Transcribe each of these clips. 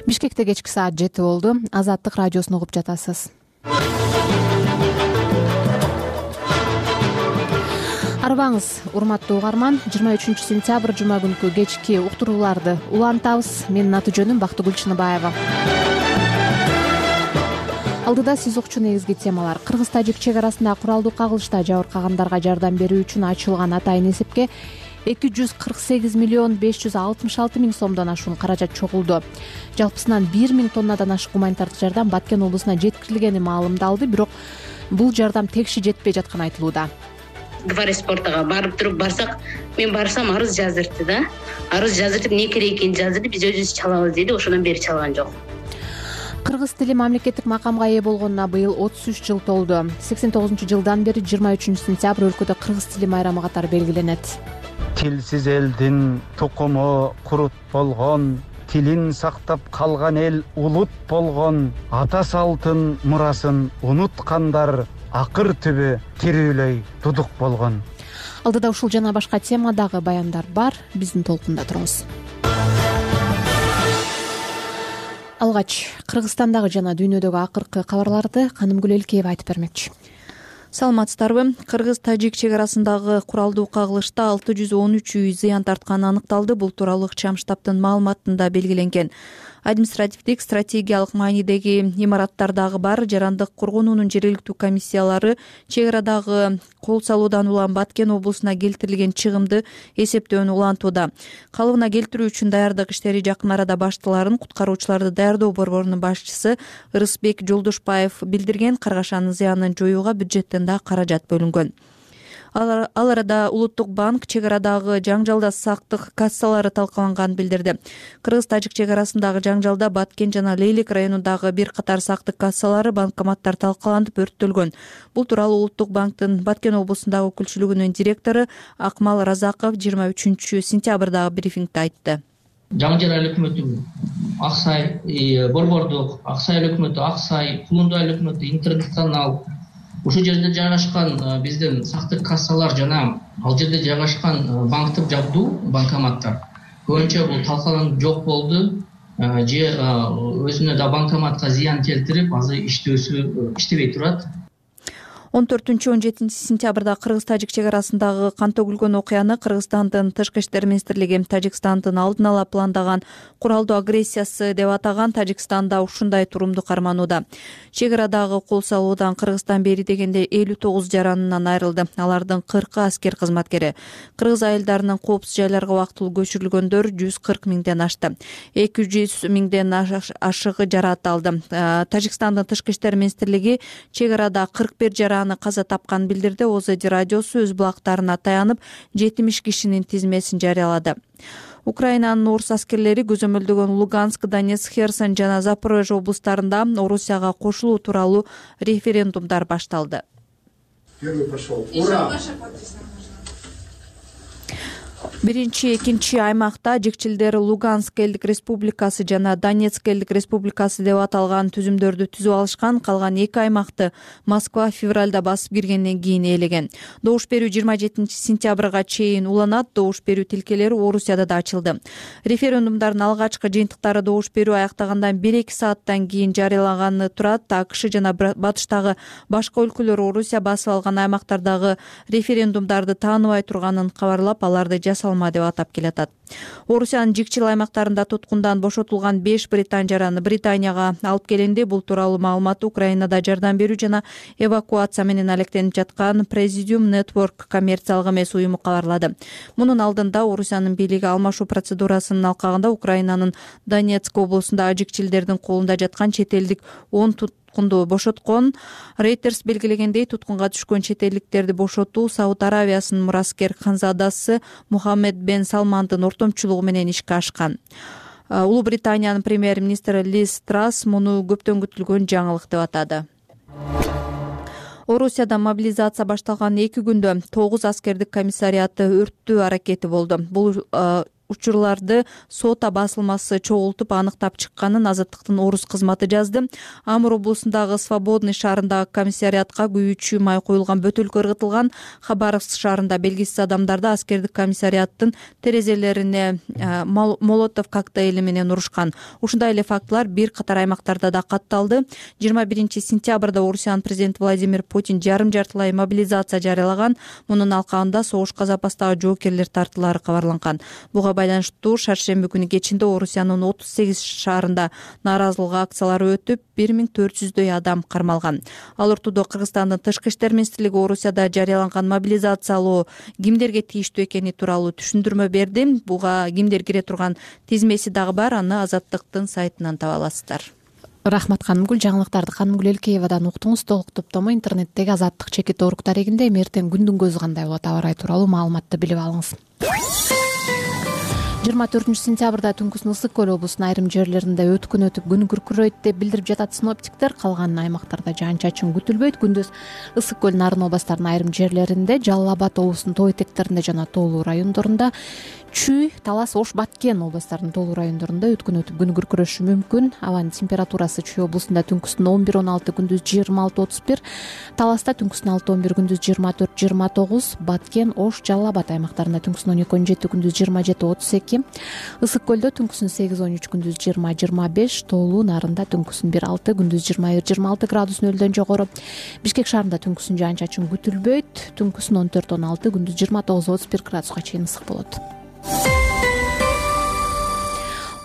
Бишкекте кечки саат 7 болду. Азаттык радиосун угуп жатасыз. Арыбаңыз, урматтуу угарман. 23 сентябрь жума күнкү кечки уктурууларды улантабыз. Менин аты жөнүм Бактыгүл Чыныбаева. Алдыда сиз укчу негизги темалар. Кыргыз-тажик чек арасында куралдуу кагылышта жабыркагандарга жардам берүү үчүн ачылган атайын эсепке 248 миллион 566 миң сомдон ашуун каражат чогулду. Жалпысынан 1 миң тоннадан ашык гуманитардык жардам Баткен облусуна жеткирилгени маалымдалды, бирок бул жардам текши жетпей жатканы айтылууда. Гвардия барып туруп барсак, мен барсам арыз жаздырды да. Арыз жаздырып, не керек экенин жаздырды, биз өзүбүз чалабыз деди, ошондон бери чалган жок. Кыргыз тили мамлекеттик макамга ээ болгонуна быйыл 33 жыл толду. 89-жылдан бери 23 сентябрь өлкөдө кыргыз тили майрамы катары белгиленет. Тилсиз элдин тукуму курут болгон, тилин сактап калган эл улут болгон, ата салтын мурасын унуткандар акыр түбү тирүүлөй тудук болгон. Алдыда ушул жана башка темадагы баяндар бар, биздин толкунда туруңуз. Алгач, Кыргызстандагы жана дүйнөдөгү акыркы кабарларды Канымгүл Элкеева айтып бермекчи. Саламатсыздарбы? Кыргыз-тажик чек арасындагы куралдуу кагылышта 613 үй зыян тартканы аныкталды. Бул тууралуу ыкчам штабтын маалыматында белгиленген. Административдик стратегиялык маанидеги имараттардагы бар жарандык коргонуунун жергиликтүү комиссиялары чек арадагы кол салуудан улам Баткен облусуна келтирилген чыгымды эсептөөнү улантууда. Калыбына келтирүү үчүн даярдык иштери жакын арада башталарын куткаруучуларды даярдоо борборунун башчысы Ырысбек Жолдошбаев билдирген. Каргашанын зыянын жоюуга бюджеттен да каражат бөлүнгөн. Ал арада Улуттук банк чек арадагы жаңжалда сактык кассалары талкаланганын билдирди. Кыргыз-тажик чек арасындагы жаңжалда Баткен жана Лейлик районундагы бир катар сактык кассалары, банкоматтар талкаланып өрттөлгөн. Бул тууралуу Улуттук банктын Баткен облусундагы өкүлчүлүгүнүн директору Акмал Разаков 23 сентябрдагы брифингде айтты. Жаңы жер өкмөтү Аксай, Борбордук, Аксай өкмөтү Аксай, Кулунду өкмөтү Интернет-канал, ушул жерде жайгашкан биздин сактык кассалар жана ал жерде жайгашкан банктык жабдуу, банкоматтар көбүнчө бул талкаланып жок болду. Же өзүнө да банкоматка зыян келтирип, азыр иштебей турат. 14-17 сентябрда Кыргыз-тажик чек арасындагы кан төгүлгөн окуяны Кыргызстандын Тышкы иштер министрлиги Тажикстандын алдын ала пландаган куралдуу агрессиясы деп атаган. Тажикстанда ушундай турумду карманууда. Чек арадагы кол салуудан Кыргызстан бери дегенде 59 жаранынан айрылды. Алардын 40 аскер кызматкери. Кыргыз айылдарынын коопсуз жайларга убактылуу көчүрүлгөндөр 140 миңден ашты. 200 миңден ашыгы жараат алды. Тажикстандын Тышкы иштер министрлиги чек арада 41 жараны каза тапканын билдирди. ОЗД радиосу өз булактарына таянып 70 кишинин тизмесин жарыялады. Украинанын орус аскерлери көзөмөлдөгөн Луганск, Донецк, Херсон жана Запорожье облустарында Орусияга кошулуу тууралуу референдумдар башталды. Первый пошел. Ура! Биринчи, экинчи аймакта жекчилдер Луганск элдик республикасы жана Донецк элдик республикасы деп аталган түзүмдөрдү түзүп алышкан. Калган эки аймакты Москва февралда басып киргенден кийин ээлеген. Добуш берүү 27 сентябрга чейин уланат. Добуш берүү тилкелери Орусияда да ачылды. Референдумдардын алгачкы жыйынтыктары добуш берүү аяктагандан 1-2 сааттан кийин жарыялаганы турат. АКШ жана батыштагы башка өлкөлөр Орусия басып алган аймактардагы референдумдарды тааныбай турганын кабарлап, аларды жасалма деп атап келатат. Орусиянын жикчил аймактарында туткундан бошотулган 5 британ жараны Британияга алып келинди. Бул тууралуу маалыматты Украинада жардам берүү жана эвакуация менен алектенип жаткан Presidium Network коммерциялык эмес уюму кабарлады. Мунун алдында Орусиянын бийлиги алмашуу процедурасынын алкагында Украинанын Донецк облусунда жикчилдердин колунда жаткан чет элдик 10 туткунду бошоткон. Reuters белгилегендей, туткунга түшкөн чет элдиктерди бошотуу Сауд Аравиясынын мураскер ханзадасы Мухаммед бен Салмандын ортомчулугу менен ишке ашкан. Улуу Британиянын премьер-министри Лиз Трасс муну көптөн күтүлгөн жаңылык деп атады. Орусияда мобилизация башталган 2 күндө 9 аскердик комиссариаты өрттөө аракети болду. Бул учурларды сота басылмасы чогултуп аныктап чыкканын Азаттыктын Орус кызматы жазды. Амур облусундагы Свободный шаарындагы комиссариатка күйүүчү май коюлган бөтөлкө ыргытылган. Хабаровск шаарында белгисиз адамдарды аскердик комиссариаттын терезелерине молотов коктейли менен урушкан. Ушундай эле фактылар бир катар аймактарда да катталды. 21-сентябрда Орусиянын президенти Владимир Путин жарым-жартылай мобилизация жарыялаган. Мунун алкагында согушка запастагы жоокерлер тартылары кабарланган. Буга байланыштуу шаршемби күнү кечинде Орусиянын 38 шаарында нааразылык акциялары өтүп, 1400дөй адам кармалган. Ал ортодо Кыргызстандын тышкы иштер министрлиги Орусияда жарыяланган мобилизациялоо кимдерге тийиштүү экени тууралуу түшүндүрмө берди. Буга кимдер кире турган тизмеси дагы бар, аны Азаттыктын сайтынан таба аласыздар. Рахмат Канымгүл. Жаңылыктарды Канымгүл Элкеевадан уктуңуз. Толук топтому интернеттеги Азаттык чекит орг дарегинде. Эртең күндүн көзү кандай болот, аба ырайы тууралуу маалыматты билип алыңыз. 24-сентябрда Түнкүстүн Ысык көл облусунун айрым жерлеринде өткүн өтүп күн күркүрөйт деп билдирип жатат синоптиктер. Калган аймактарда жаан-чачын күтүлбөйт. Күндүз Ысык көл нарын областарынын айрым жерлеринде, Жалал Абад облусунун тоо этектеринде жана тоолуу райондорунда, Чүй, Талас, Ош, Баткен областарынын тоолуу райондорунда өткүн өтүп күн күркүрөшү мүмкүн. Абанын температурасы Чүй облусунда түнкүстүн 11-16, күндүз 26-31, Таласта түнкүстүн 6-11, күндүз 24-29, Баткен, Ош, Жалал Абад аймактарында түнкүстүн 12-17, күндүз 27-32, Ысык көлдө түнкүстүн 8-13, күндүз 20-25, тоолуу нарында түнкүстүн 1-6, күндүз 21-26 градус нөлдөн жогору. Бишкек шаарында түнкүстүн жаан-чачын күтүлбөйт. Түнкүстүн 14-16, күндүз 29-31 градуска чейин ысык болот.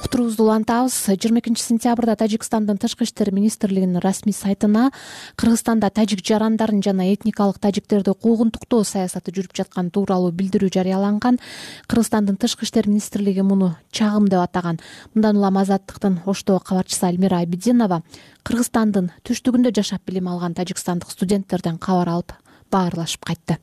Уктуруубузду улантабыз. 22-сентябрда Тажикстандын тышкы иштер министрлигинин расмий сайтына Кыргызстанда тажик жарандарын жана этникалык тажиктерди куугунтуктоо саясаты жүрүп жатканы тууралуу билдирүү жарыяланган. Кыргызстандын тышкы иштер министрлиги муну чагым деп атаган. Мындан улам Азаттыктын Оштогу кабарчысы Альмира Айбидинова Кыргызстандын түштүгүндө жашап билим алган тажикстандык студенттерден кабар алып баарлашып кайтты.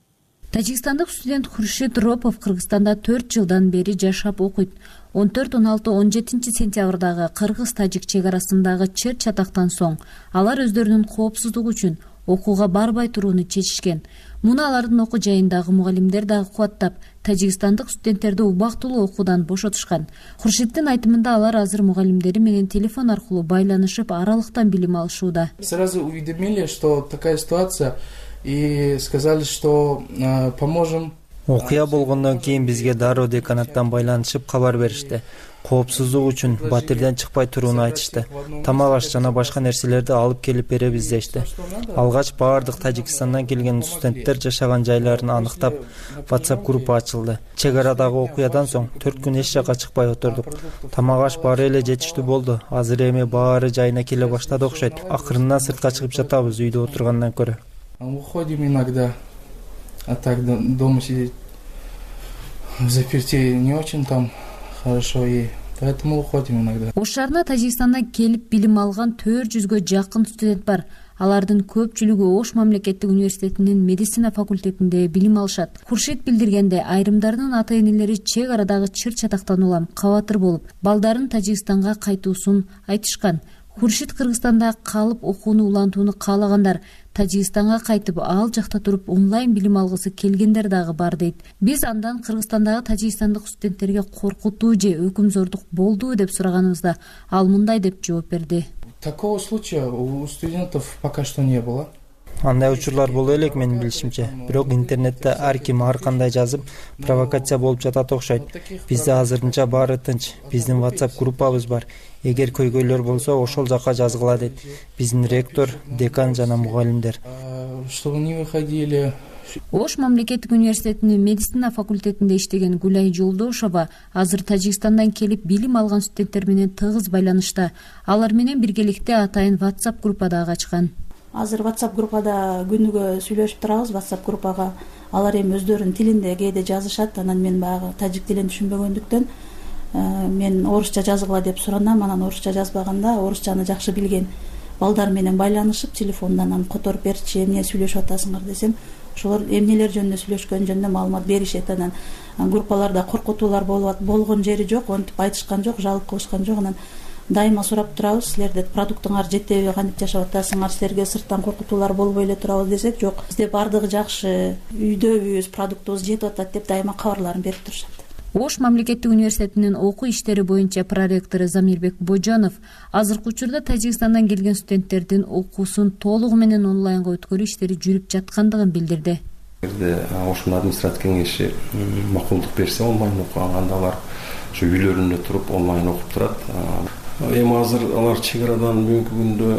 Тажикстандык студент Хуршит Ропов Кыргызстанда 4 жылдан бери жашап окуйт. 14-16-17 сентябрдагы кыргыз-тажик чек арасындагы чыр чатактан соң алар өздөрүнүн коопсуздугу үчүн окууга барбай турууну чечишкен. Муну алардын окуу жайындагы мугалимдер дагы кубаттап, тажикстандык студенттерди убактылуу окуудан бошотушкан. Хуршиттин айтымында алар азыр мугалимдери менен телефон аркылуу байланышып, аралыктан билим алышууда. Сразу уведомили, что такая ситуация, и сказали, что поможем. Окуя болгондон кийин бизге дароо деканаттан байланышып кабар беришти. Коопсуздук үчүн батирден чыкпай турууну айтышты. Тамак аш жана башка нерселерди алып келип беребиз дешти. Алгач баардык Тажикстандан келген студенттер жашаган жайларын аныктап, WhatsApp группа ачылды. Чек арадагы окуядан соң 4 күн эч жакка чыкпай отурдук. Тамак аш баары эле жетиштүү болду. Азыр эми баары жайына келе баштады окшойт. Акырында сыртка чыгып жатабыз үйдө отургандан көрө. Выходим иногда, а так дома сидеть в заперти не очень там хорошо, и поэтому уходим иногда. Ош шаарына Тажикстандан келип билим алган 400гө жакын студент бар. Алардын көпчүлүгү Ош мамлекеттик университетинин медицина факультетинде билим алышат. Хуршит билдиргенде, айрымдарынын ата-энелери чек арадагы чыр чатактан улам кабатыр болуп, балдарын Тажикстанга кайтуусун айтышкан. Хуршит Кыргызстанда калып окууну улантууну каалагандар Тажикстанга кайтып, ал жакта туруп онлайн билим алгысы келгендер дагы бар дейт. Биз андан Кыргызстандагы тажикстандык студенттерге коркутуу же өкүмзордук болдубу деп сураганыбызда ал мындай деп жооп берди. Такого случая у студентов пока что не было. Андай учурлар боло элек менин билишимче. Бирок интернетте ар ким ар кандай жазып, провокация болуп жатат окшойт. Бизде азырынча баары тынч. Биздин WhatsApp группабыз бар. Эгер көйгөйлөр болсо, ошол жака жазгыла дейт. Биздин ректор, декан жана мугалимдер. Чтобы не выходили. Ош мамлекеттик университетинин медицина факультетинде иштеген Гулай Жолдошова азыр Тажикстандан келип билим алган студенттер менен тыгыз байланышта. Алар менен биргеликте атайын WhatsApp группа дагы ачкан. Азыр WhatsApp группада күнүгө сүйлөшүп турабыз. WhatsApp группага алар эми өздөрүнүн тилинде кээде жазышат. Анан мен баягы тажик тилин түшүнбөгөндүктөн мен орусча жазгыла деп суранам. Анан орусча жазбаганда орусчаны жакшы билген балдар менен байланышып, телефондан анан которуп берчи, эмне сүйлөшүп атасыңар десем, ошолор эмнелер жөнүндө сүйлөшкөн жөнүндө маалымат беришет. Анан группаларда коркутуулар болгон жери жок, онтип айтышкан жок, жалып кылышкан жок. Анан дайыма сурап турабыз, силерде продуктуңар жетеби, кантип жашап атасыңар, силерге сырттан коркутуулар болбой эле турабы десек, жок, бизде баардыгы жакшы, үйдөбүз, продуктубуз жетип атат деп дайыма кабарларын берип турушат. Ош мамлекеттик университетинин окуу иштери боюнча проректору Замирбек Божонов азыркы учурда Тажикстандан келген студенттердин окуусун толугу менен онлайнга өткөрүү иштери жүрүп жаткандыгын билдирди. Эгерде Ошун администрация кеңеши макулдук берсе, онлайн окуганда алар ушу үйлөрүндө туруп онлайн окуп турат. Эми азыр алар чек арадан бүгүнкү күндө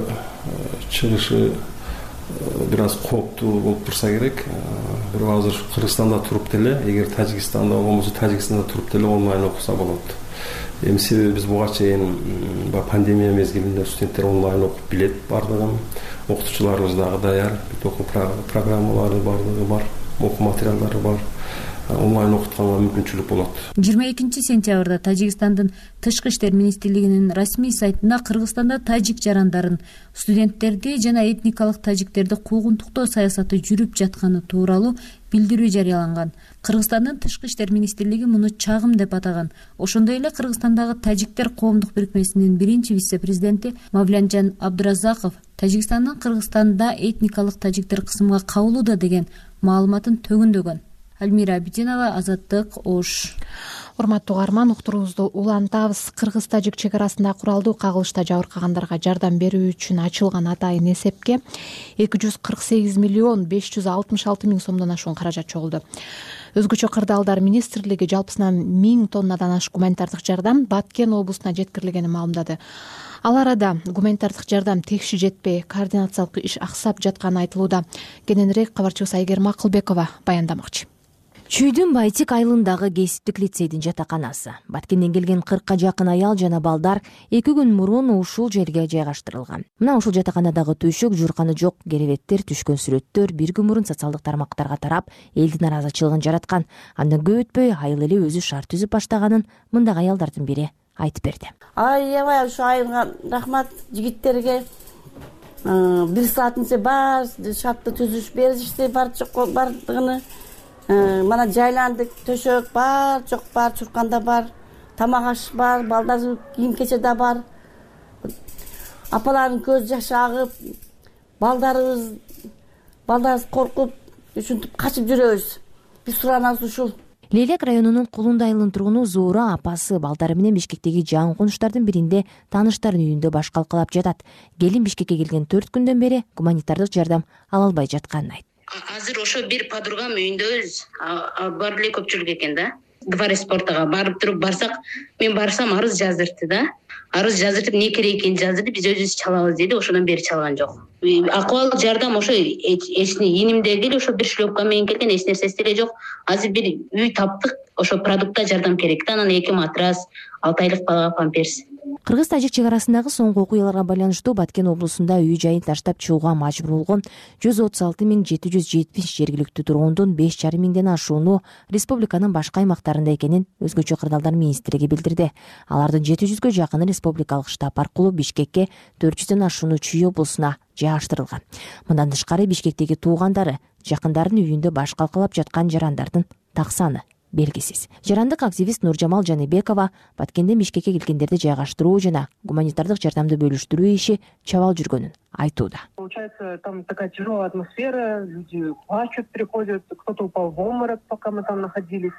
чыгышы бир аз кооптуу болуп турса керек. Бирок азыр Кыргызстанда туруп деле, эгер Тажикстанда болбосо Тажикстанда туруп деле онлайн окуса болот. Эми себеби биз буга чейин пандемия мезгилинде студенттер онлайн окуп билет бардыгын, окутуучуларыбыз дагы даяр, окуу программалары бардыгы бар, окуу материалдары бар. Онлайн окутканга мүмкүнчүлүк болот. 22 сентябрда Тажикстандын Тышкы иштер министрлигинин расмий сайтында Кыргызстанда тажик жарандарын, студенттерди жана этникалык тажиктерди куугунтуктоо саясаты жүрүп жатканы тууралуу билдирүү жарыяланган. Кыргызстандын Тышкы иштер министрлиги муну чагым деп атаган. Ошондой эле Кыргызстандагы тажиктер коомдук бирикмесинин биринчи вице-президенти Мавлянжан Абдуразаков Тажикстандын Кыргызстанда этникалык тажиктер кысымга кабылууда деген маалыматын төгүндөгөн. Альмира Абидинова, Азаттык, Ош. Урматтуу угарман, уктуруубузду улантабыз. Кыргыз-тажик чек арасында куралдуу кагылышта жабыркагандарга жардам берүү үчүн ачылган атайын эсепке 248 миллион 566 миң сомдон ашуун каражат чогулду. Өзгөчө кырдаалдар министрлиги жалпысынан 1000 тоннадан ашык гуманитардык жардам Баткен облусуна жеткирилгенин маалымдады. Ал арада гуманитардык жардам текши жетпей, координациялык иш аксап жатканы айтылууда. Кененирээк кабарчыбыз Айгерим Акылбекова баяндамакчы. Чүйдүн Байтик айылындагы кесиптик лицейдин жатаканасы. Баткенден келген 40 жакын аял жана балдар 2 күн мурун ушул жерге жайгаштырылган. Мына ушул жатаканадагы төшөк, журканы жок керебеттер, түшкөн сүрөттөр 1 күн мурун социалдык тармактарга тарап, элдин наразычылыгын жараткан. Андан көп өтпөй айыл эле өзү шарт түзүп баштаганын мындагы аялдардын бири айтып берди. Аябай ушу айылга рахмат жигиттерге. 1 сааттын ичинде бар шартты түзүш беришти, бардыгыны. Мана жайландык, төшөк бар, жок бар, чурканда бар, тамак аш бар, балдар кийим кечеде бар. Апалардын көз жашы агып, балдарыбыз коркуп, ушинтип качып жүрөбүз. Биз суранабыз ушул. Лейлек районунун Кулунду айылынын тургуну Зуура апасы балдары менен Бишкектеги жаңы конуштардын биринде тааныштардын үйүндө баш калкалап жатат. Келин Бишкекке келген 4 күндөн бери гуманитардык жардам ала албай жатканын айтты. Азыр ошо бир подругам үйүндөбүз. Бар эле көпчүлүк экен да. Дворец спортага барып туруп барсак, мен барсам арыз жаздыртты да. Арыз жаздыртып, не керек экенин жаздырды, биз өзүбүз чалабыз деди, ошондон бери чалган жок. Акыбал жардам ошо энимдеги эле ошо бир шлёпка менен келген, эч нерсеси деле жок. Азыр бир үй таптык, ошо продуктка жардам керек да, анан 2 матрас, 6 айлык балага памперс. Кыргыз-тажик чек арасындагы соңку окуяларга байланыштуу Баткен облусунда үй жайын таштап чыгууга мажбур болгон 136.770 жергиликтүү тургундун 5,5 миңден ашууну республиканын башка аймактарында экенин өзгөчө кырдаалдар министрлиги билдирди. Алардын 700гө жакыны республикалык штаб аркылуу Бишкекке, 400дөн ашууну Чүй облусуна жайгаштырылган. Мындан тышкары Бишкектеги туугандары, жакындарынын үйүндө баш калкалап жаткан жарандардын так саны белгисиз. Жарандык активист Нуржамал Жаныбекова Баткенден Бишкекке келгендерди жайгаштыруу жана гуманитардык жардамды бөлүштүрүү иши чабал жүргөнүн айтууда. Получается, там такая тяжелая атмосфера, люди плачут, приходят, кто-то упал в обморок, пока мы там находились.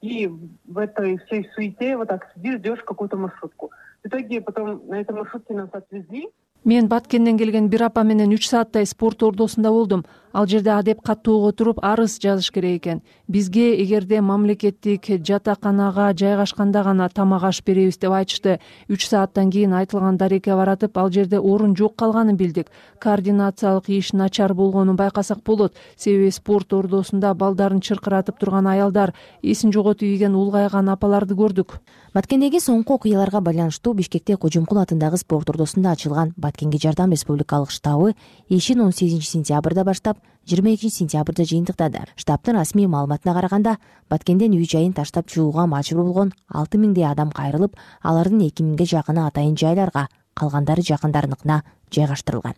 И в этой всей суете вот так сидишь, ждешь какую-то маршрутку. В итоге потом на этой маршрутке нас отвезли. Мен Баткенден келген бир апа менен 3 сааттай спорт ордосунда болдум. Ал жерде адеп каттоого туруп арыз жазыш керек экен. Бизге эгерде мамлекеттик жатаканага жайгашканда гана тамак аш беребиз деп айтышты. 3 сааттан кийин айтылган дарекке баратып, ал жерде орун жок калганын билдик. Координациялык иш начар болгонун байкасак болот. Себеби спорт ордосунда балдарын чыркыратып турган аялдар, эсин жоготуп ийген улгайган апаларды көрдүк. Баткендеги соңку окуяларга байланыштуу Бишкекте Кожомкул атындагы спорт ордосунда ачылган Баткенге жардам республикалык штабы ишин 18 сентябрда баштап 22 сентябрда жыйынтыктады. Штабтын расмий маалыматына караганда, Баткенден үй жайын таштап чыгууга мажбур болгон 6 миңдей адам кайрылып, алардын 2 миңге жакыны атайын жайларга, калгандары жакындарыныкына жайгаштырылган.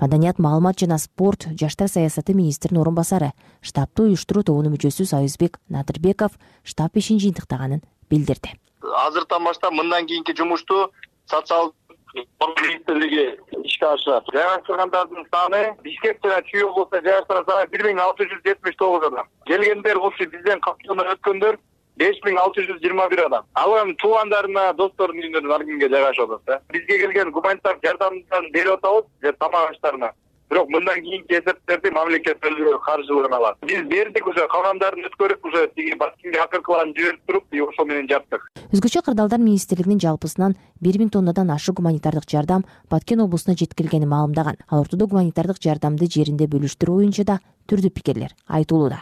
Маданият, маалымат жана спорт жаштар саясаты министринин орун басары, штабты уюштуруу тобунун мүчөсү Союзбек Надырбеков штаб ишин жыйынтыктаганын билдирди. Азыртан баштап мындан кийинки жумушту социалдык министрлиги ишке ашырат. Жайгаштыргандардын саны Бишкек жана Чүй облусунда жайгаштырган саны 1679 адам. Келгендер ошо бизден каттоонан өткөндөр 5621 адам. Ал эми туугандарына, досторунун үйүнө аргинге жайгашып атат да. Бизге келген гуманитар жардамдан берип атабыз, тамак аштарына. Бирок мындан кийинки эсептерди мамлекет өзү каржылыгына алат. Биз бердик уже, калгандарын өткөрүп уже тиги Баткенге акыркыларын жиберип туруп, ошол менен жаптык. Өзгөчө кырдаалдар министрлигинин жалпысынан 1000 тоннадан ашык гуманитардык жардам Баткен облусуна жеткирилгенин маалымдаган. Ал ортодо гуманитардык жардамды жеринде бөлүштүрүү боюнча да түрдүү пикирлер айтылууда.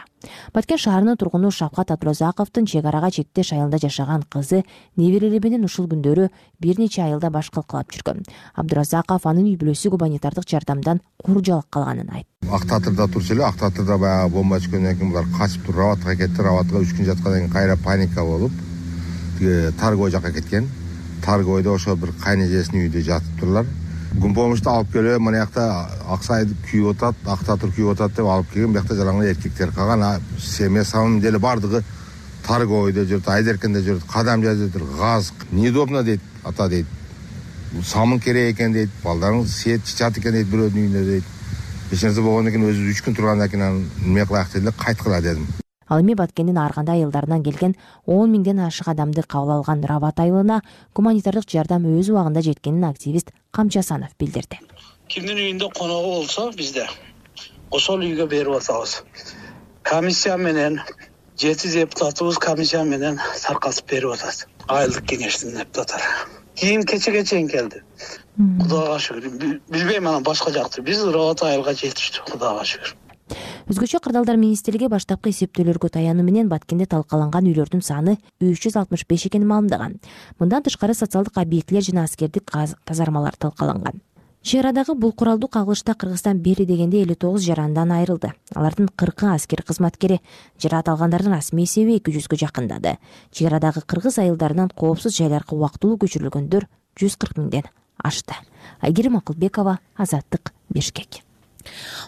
Баткен шаарынын тургуну Шавкат Абдуразаковдун чек арага чектеш айылында жашаган кызы неберелери менен ушул күндөрү бир нече айылда баш калкалап жүргөн. Абдуразаков анын үй бүлөсү гуманитардык жардамдан куржалык калганын айтты. Ак Татырда турчу эле, Ак Татырда баягы бомба түшкөндөн кийин булар качып туруп Раватка кетти. Раватка 3 күн жаткандан кийин кайра паника болуп, Таргой жака кеткен. Таргойдо ошол бир кайнежесинин үйүндө жатыптырлар. Помощьту алып келип, мына жакта Аксай күйүп атат, Ак Татыр күйүп атат деп алып келген. Бuyakta жалаңгы эркектер калган. Семья самым деле бардыгы Таргойдо жүрүп, Айдеркенде жүрүп, кадам жазып, газ неудобно дейт, ата дейт. Самын керек экен дейт, балдарың сет чычат экен дейт бирөөнүн үйүндө дейт. Эч нерсе болгондон кийин өзү 3 күн тургандан кийин неме кылайык дедим, кайткыла дедим. Ал эми Баткендин ар кандай айылдарынан келген 10 миңден ашык адамды кабыл алган Рават айылына гуманитардык жардам өз убагында жеткенин активист Камчасанов билдирди. Кимдин үйүндө коногу болсо бизде ошол үйгө берип атабыз. Комиссия менен 7 депутатыбыз комиссия менен таркатып берип атат. Айылдык кеңештин депутаттары. Кийин кечеге чейин келди. Кудайга шүгүр. Билбейм анан башка жакты. Биз Рават айылга жетиштик, Кудайга шүгүр. Өзгөчө кырдаалдар министрлиги баштапкы эсептөөлөргө таянуу менен Баткенде талкаланган үйлөрдүн саны 365 экенин маалымдаган. Мындан тышкары социалдык объектилер жана аскердик казармалар талкаланган. Чек арадагы бул куралдуу кагылышта Кыргызстан бери дегенде 59 жарандан айрылды. Алардын 40 аскер кызматкери, жараат алгандардын расмий эсеби 200гө жакындады. Чек арадагы кыргыз айылдарынан коопсуз жайларга убактылуу көчүрүлгөндөр 140 миңден ашты. Айгерим Акылбекова, Азаттык, Бишкек.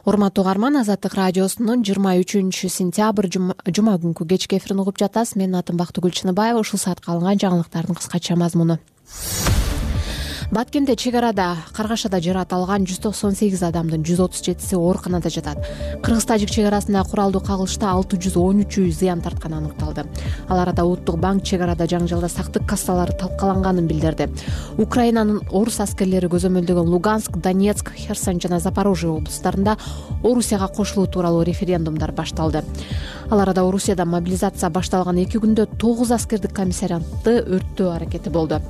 Урматтуу угарман, Азаттык радиосунун 23 сентябрь жума күнкү кечки эфирин угуп жатасыз. Менин атым Бактыгүл Чыныбаева. Ушул саатка алынган жаңылыктардын кыскача мазмуну. Баткенде чек арада каргашада жараат алган 198 адамдын 137си ооруканада жатат. Кыргыз-тажик чек арасында куралдуу кагылышта 613 зыян тартканы аныкталды. Ал арада Улуттук банк чек арада жаңжалда сактык кассалары талкаланганын билдирди. Украинанын орус аскерлери көзөмөлдөгөн Луганск, Донецк, Херсон жана Запорожье облустарында Орусияга кошулуу тууралуу референдумдар башталды. Ал арада Орусияда мобилизация башталган 2 күндө 9 аскердик комиссариатты өрттөө аракети болду.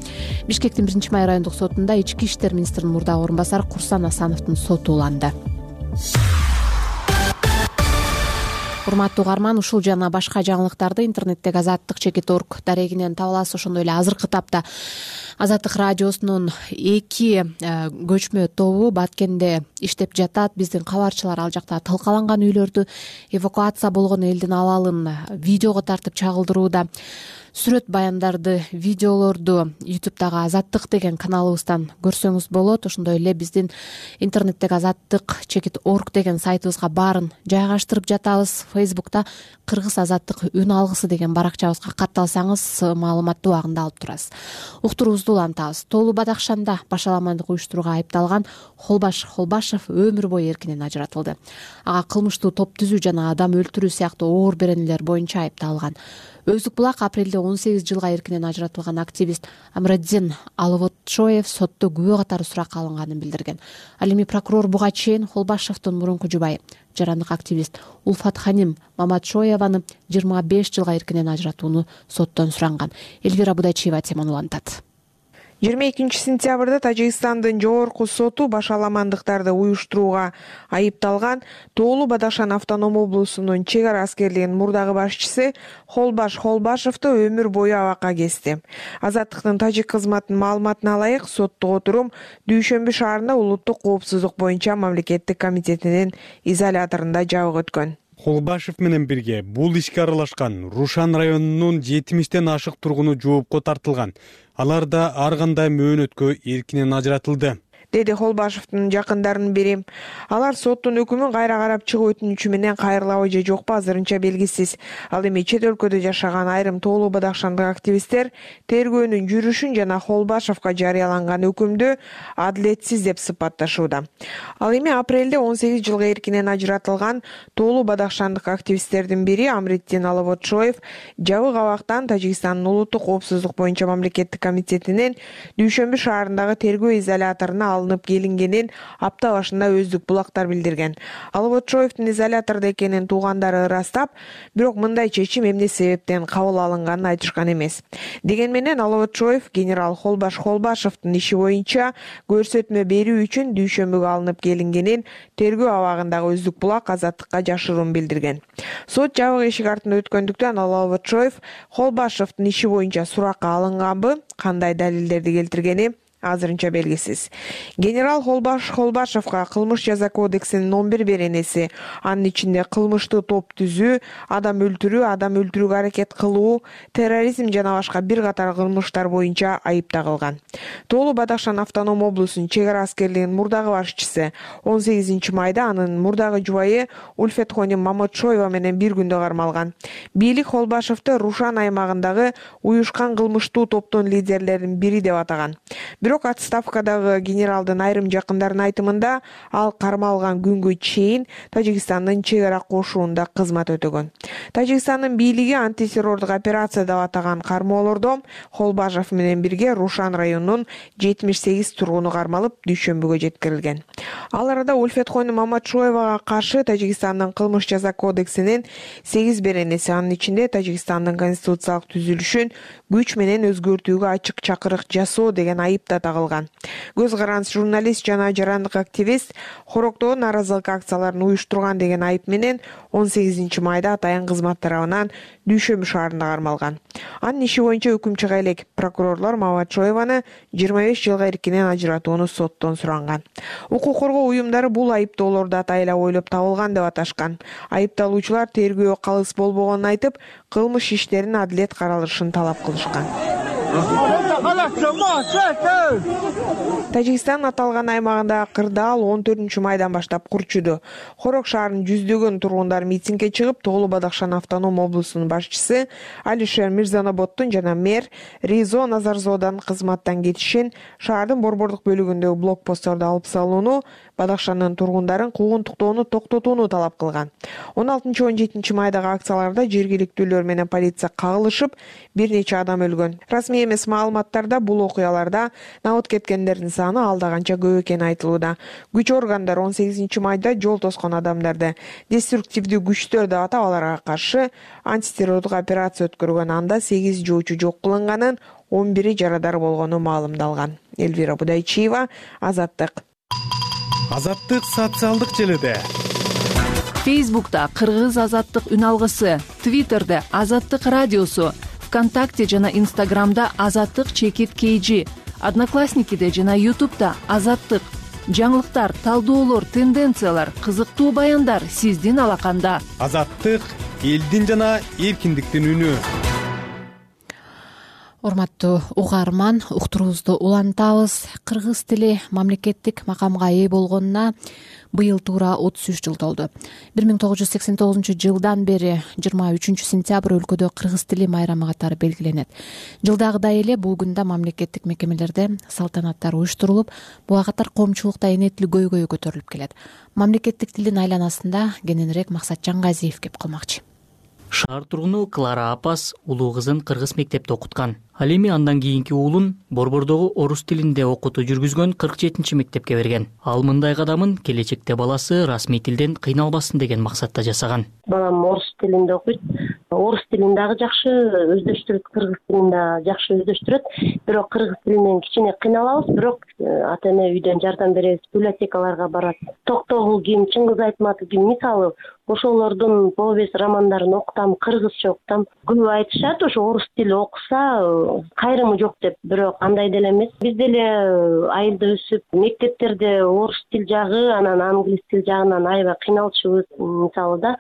Бишкектин 1-май райондук сотунда ички иштер министринин мурдагы орун басары Курсан Асановдун соту уланды. Урматтуу угарман, ушул жана башка жаңылыктарды интернеттеги azattik.org дарегинен таба аласыз. Ошондой эле азыркы тапта Азаттык радиосунун 2 көчмө тобу Баткенде иштеп жатат. Биздин кабарчылар ал жакта талкаланган үйлөрдү, эвакуация болгон элдин абалын видеого тартып чагылдырууда. Сүрөт баяндарды, видеолорду YouTube'дагы Азаттык деген каналыбыздан көрсөңүз болот. Ошондой эле биздин интернеттеги azattik.org деген сайтыбызга баарын жайгаштырып жатабыз. Facebook'та Кыргыз Азаттык үн алгысы деген баракчабызга катталсаңыз маалыматты убагында алып турасыз. Уктуруубузду улантабыз. Тоолуу Бадакшанда башаламандык уюштурууга айыпталган Холбаш Холбашев өмүр бою эркинен ажыратылды. Ага кылмыштуу топ түзүү жана адам өлтүрүү сыяктуу оор беренелер боюнча айыпталган. Өздүк булак апрелде 18 жылга эркинен ажыратылган активист Амраддин Алывотшоев сотто күбө катары суракка алынганын билдирген. Ал эми прокурор буга чейин Холбашевдин мурунку жубайы жарандык активист Улфат Ханим Маматшоеваны 25 жылга эркинен ажыратууну соттон суранган. Элвира Будачиева теманы улантат. 22 сентябрда Тажикстандын жогорку соту башаламандыктарды уюштурууга айыпталган Тоолуу Бадакшан автономдуу облусунун чек ара аскерлигинин мурдагы башчысы Холбаш Холбашевду өмүр бою абакка кести. Азаттыктын тажик кызматынын маалыматына ылайык, соттук отурум Дүйшөмбү шаарында улуттук коопсуздук боюнча мамлекеттик комитетинин изоляторунда жабык өткөн. Холбашев менен бирге бул ишке аралашкан Рушан районунун 70тен ашык тургуну жоопко тартылган. Алар да ар кандай мөөнөткө эркинен ажыратылды. деди Холбашевдин жакындарынын бири. Алар соттун өкүмүн кайра карап чыгуу өтүнүчү менен кайрылабы же жокпу азырынча белгисиз. Ал эми чет өлкөдө жашаган айрым тоолуу бадахшандык активисттер тергөөнүн жүрүшүн жана Холбашевга жарыяланган өкүмдү адилетсиз деп сыпатташууда. Ал эми апрелде 18 жылга эркинен ажыратылган тоолуу бадахшандык активисттердин бири Амритдин Алавотшоев жабык абактан Тажикстандын улуттук коопсуздук боюнча мамлекеттик комитетинин Дүйшөмбү шаарындагы тергөө изоляторуна алынып келингенин апта башында өздүк булактар билдирген. Алавотшоевдин изолятордо экенин туугандары ырастап, бирок мындай чечим эмне себептен кабыл алынганын айтышкан эмес. Деген менен Алавотшоев генерал Холбашевдин иши боюнча көрсөтмө берүү үчүн Дүйшөмбүгө алынып келингенин тергөө абагындагы өздүк булак азаттыкка жашыруун билдирген. Сот жабык эшик артында өткөндүктөн Алавотшоев Холбашевдин иши боюнча суракка алынганбы, кандай далилдерди келтиргени азырынча белгисиз. Генерал Холбашевга кылмыш жаза кодексинин 11 беренеси, анын ичинде кылмыштуу топ түзүү, адам өлтүрүүгө аракет кылуу, терроризм жана башка бир катар кылмыштар боюнча айып тагылган. Тоолуу Бадахшан автоном облусунун чек ара аскерлигинин мурдагы башчысы 18 майда анын мурдагы жубайы Ульфетхони Маматшоева менен бир күндө кармалган. Бийлик Холбашевди Рушан аймагындагы уюшкан кылмыштуу топтун лидерлеринин бири деп атаган. Бирок отставкадагы генералдын айрым жакындарынын айтымында ал кармалган күнгө чейин Тажикстандын чек ара кошуунда кызмат өтөгөн. Тажикстандын бийлиги антитеррордук операция деп атаган кармоолордо Холбашев менен бирге Рушан районунун 78 тургуну кармалып Дүйшөмбүгө жеткирилген. Ал арада Ульфетхони Маматшоевага каршы Тажикстандын кылмыш жаза кодексинин 8 беренеси, анын ичинде Тажикстандын конституциялык түзүлүшүн күч менен өзгөртүүгө ачык чакырык жасоо деген айып да тагылган. Көз каранды журналист жана жарандык активист Хороктогу нааразылык акцияларын уюштурган деген айып менен 18 майда атайын кызмат тарабынан Дүйшөмбү шаарында кармалган. Анын иши боюнча өкүм чыга элек прокурорлор Маматшоеваны 25 жылга эркинен ажыратууну соттон суранган. Укук коргоо уюмдары бул айыптоолорду атайлап ойлоп табылган деп аташкан. Айыпталуучулар тергөө калыс болбогонун айтып, кылмыш иштеринин адилет каралышын талап кылышкан. Тажикстан аталган аймагында кырдаал 14 майдан баштап курчуду. Хорок шаарынын жүздөгөн тургундары митингге чыгып, Тоолуу Бадахшан автоном облусунун башчысы Алишер Мирзаноботтун жана мэр Ризо Назарзоданын кызматтан кетишин, шаардын борбордук бөлүгүндөгү блокпостторду алып салууну, Бадахшандын тургундарын куугунтуктоону токтотууну талап кылган. 16-17 майдагы акцияларда жергиликтүүлөр менен полиция кагылышып, бир нече адам өлгөн. Расмий эмес маалыматтарда бул окуяларда набыт кеткендердин саны алда канча көп экени айтылууда. Күч органдары 18 майда жол тоскон адамдарды деструктивдүү күчтөр деп атап, аларга каршы антитеррордук операция өткөргөн. Анда 8 жоочу жок кылынганын, 11 жарадар болгону маалымдалган. Элвира Будайчиева, Азаттык. Азаттык социалдык желиде. Фейсбукта Кыргыз Азаттык үн алгысы, Твиттерде Азаттык радиосу, ВКонтакте жана Инстаграмда Азаттык _KG, Одноклассникиде жана Ютубда Азаттык. Жаңылыктар, талдоолор, тенденциялар, кызыктуу баяндар сиздин алаканда. Азаттык элдин жана эркиндиктин үнү. Урматтуу угарман, уктуруубузду улантабыз. Кыргыз тили мамлекеттик макамга ээ болгонуна быйыл туура 33 жыл толду. 1989 жылдан бери 23 сентябрь өлкөдө кыргыз тили майрамы катары белгиленет. Жылдагыдай эле бул күндө мамлекеттик мекемелерде салтанаттар уюштурулуп, буга катар коомчулукта энетил көйгөй көтөрүлүп келет. Мамлекеттик тилдин айланасында кененирээк Максатжан Газиев кеп калмакчы. Шаар тургуну Клара Апас улуу кызын кыргыз мектепте окуткан. Ал эми андан кийинки уулун борбордогу орус тилинде окутуу жүргүзгөн 47 мектепке берген. Ал мындай кадамын келечекте баласы расмий тилден кыйналбасын деген максатта жасаган. Балам орус тилинде окуйт. Орус тилин дагы жакшы өздөштүрөт, кыргыз тилин да жакшы өздөштүрөт. Бирок кыргыз тилинен кичине кыйналабыз, бирок ата эне үйдөн жардам беребиз, библиотекаларга барат. Токтогул ким, Чыңгыз Айтматов ким, мисалы ошолордун повесть романдарын окутам, кыргызча окутам. Көп айтышат, ошо орус тили окуса кайрымы жок деп, бирок андай деле эмес. Биз деле айылда өсүп, мектептерде орус тил жагы, анан англис тил жагынан аябай кыйналчубыз, мисалы да.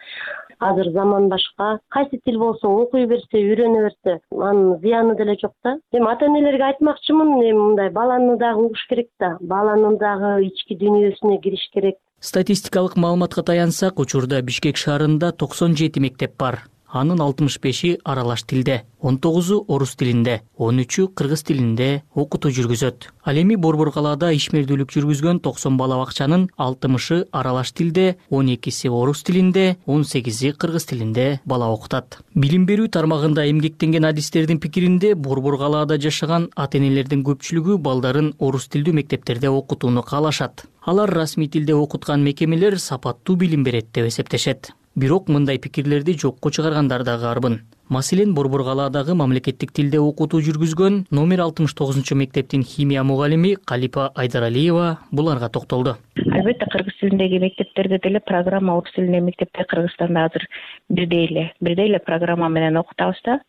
азыр заман башка, кайсы тил болсо окуй берсе, үйрөнө берсе, анын зыяны деле жок да. Эми ата энелерге айтмакчымын, эми мындай баланы дагы угуш керек да, баланын дагы ички дүйнөсүнө кириш керек. Статистикалык маалыматка таянсак, учурда Бишкек шаарында 97 мектеп бар. Анын 65 аралаш тилде, 19 орус тилинде, 13 кыргыз тилинде окутуу жүргүзөт. Ал эми Борбор калаада ишмердүүлүк жүргүзгөн 90 бала бакчанын 60 аралаш тилде, 12 орус тилинде, 18 кыргыз тилинде бала окутат. Билим берүү тармагында эмгектенген адистердин пикиринде, Борбор калаада жашаган ата энелердин көпчүлүгү балдарын орус тилдүү мектептерде окутууну каалашат. Алар расмий тилде окуткан мекемелер сапаттуу билим берет деп эсептешет. Бирок мындай пикирлерди жокко чыгаргандар дагы арбын. Маселен, Борбор калаадагы мамлекеттик тилде окутуу жүргүзгөн номер 69 мектептин химия мугалими Калипа Айдаралиева буларга токтолду. Албетте кыргыз тилиндеги мектептерде деле программа орус тилиндеги мектепте Кыргызстанда азыр бирдей эле программа менен окутабыз да.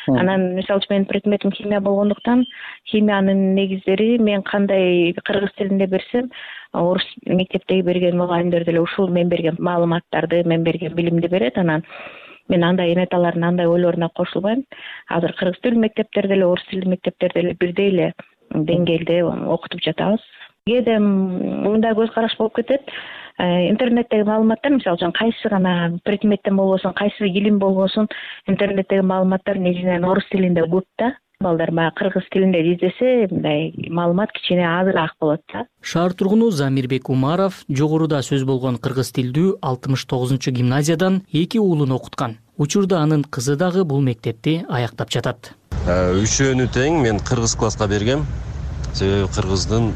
Анан мисалы үчүн менин предметим химия болгондуктан, химиянын негиздери мен кандай кыргыз тилинде берсем, орус мектептеги берген мугалимдер деле ушул мен берген маалыматтарды, мен берген билимди берет. Анан мен андай энеталардын андай ойлоруна кошулбайм. Азыр кыргыз тилдүү мектептерде эле, орус тилдүү мектептерде эле бирдей эле деңгээлде окутуп жатабыз. Кээде мындай көз караш болуп кетет. Интернеттеги маалыматтар, мисалы үчүн кайсы гана предметтен болбосун, кайсы илим болбосун, интернеттеги маалыматтар негизинен орус тилинде көп да. Балдар баягы кыргыз тилинде издесе, мындай маалымат кичине азыраак болот да. Шаар тургуну Замирбек Умаров жогоруда сөз болгон кыргыз тилдүү 69 гимназиядан 2 уулун окуткан. Учурда анын кызы дагы бул мектепти аяктап жатат. Үчөөнү тең мен кыргыз класска бергем. Себеби кыргыздын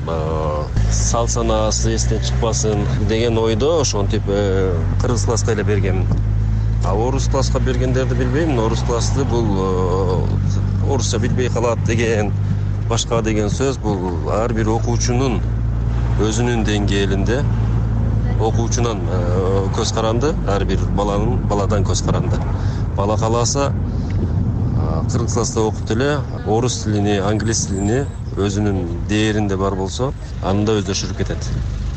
сал санаасы эстен чыкпасын деген ойдо ошентип кыргыз класска эле бергем. Орус класска бергендерди билбейм, орус классты бул орусча билбей калат деген, башка деген сөз бул ар бир окуучунун өзүнүн деңгээлинде окуучунан көз каранды, ар бир баладан көз каранды. Бала кааласа кыргыз класста окуп эле орус тилини, англис тилини өзүнүн дээринде бар болсо, анда өздөшүрүп кетет.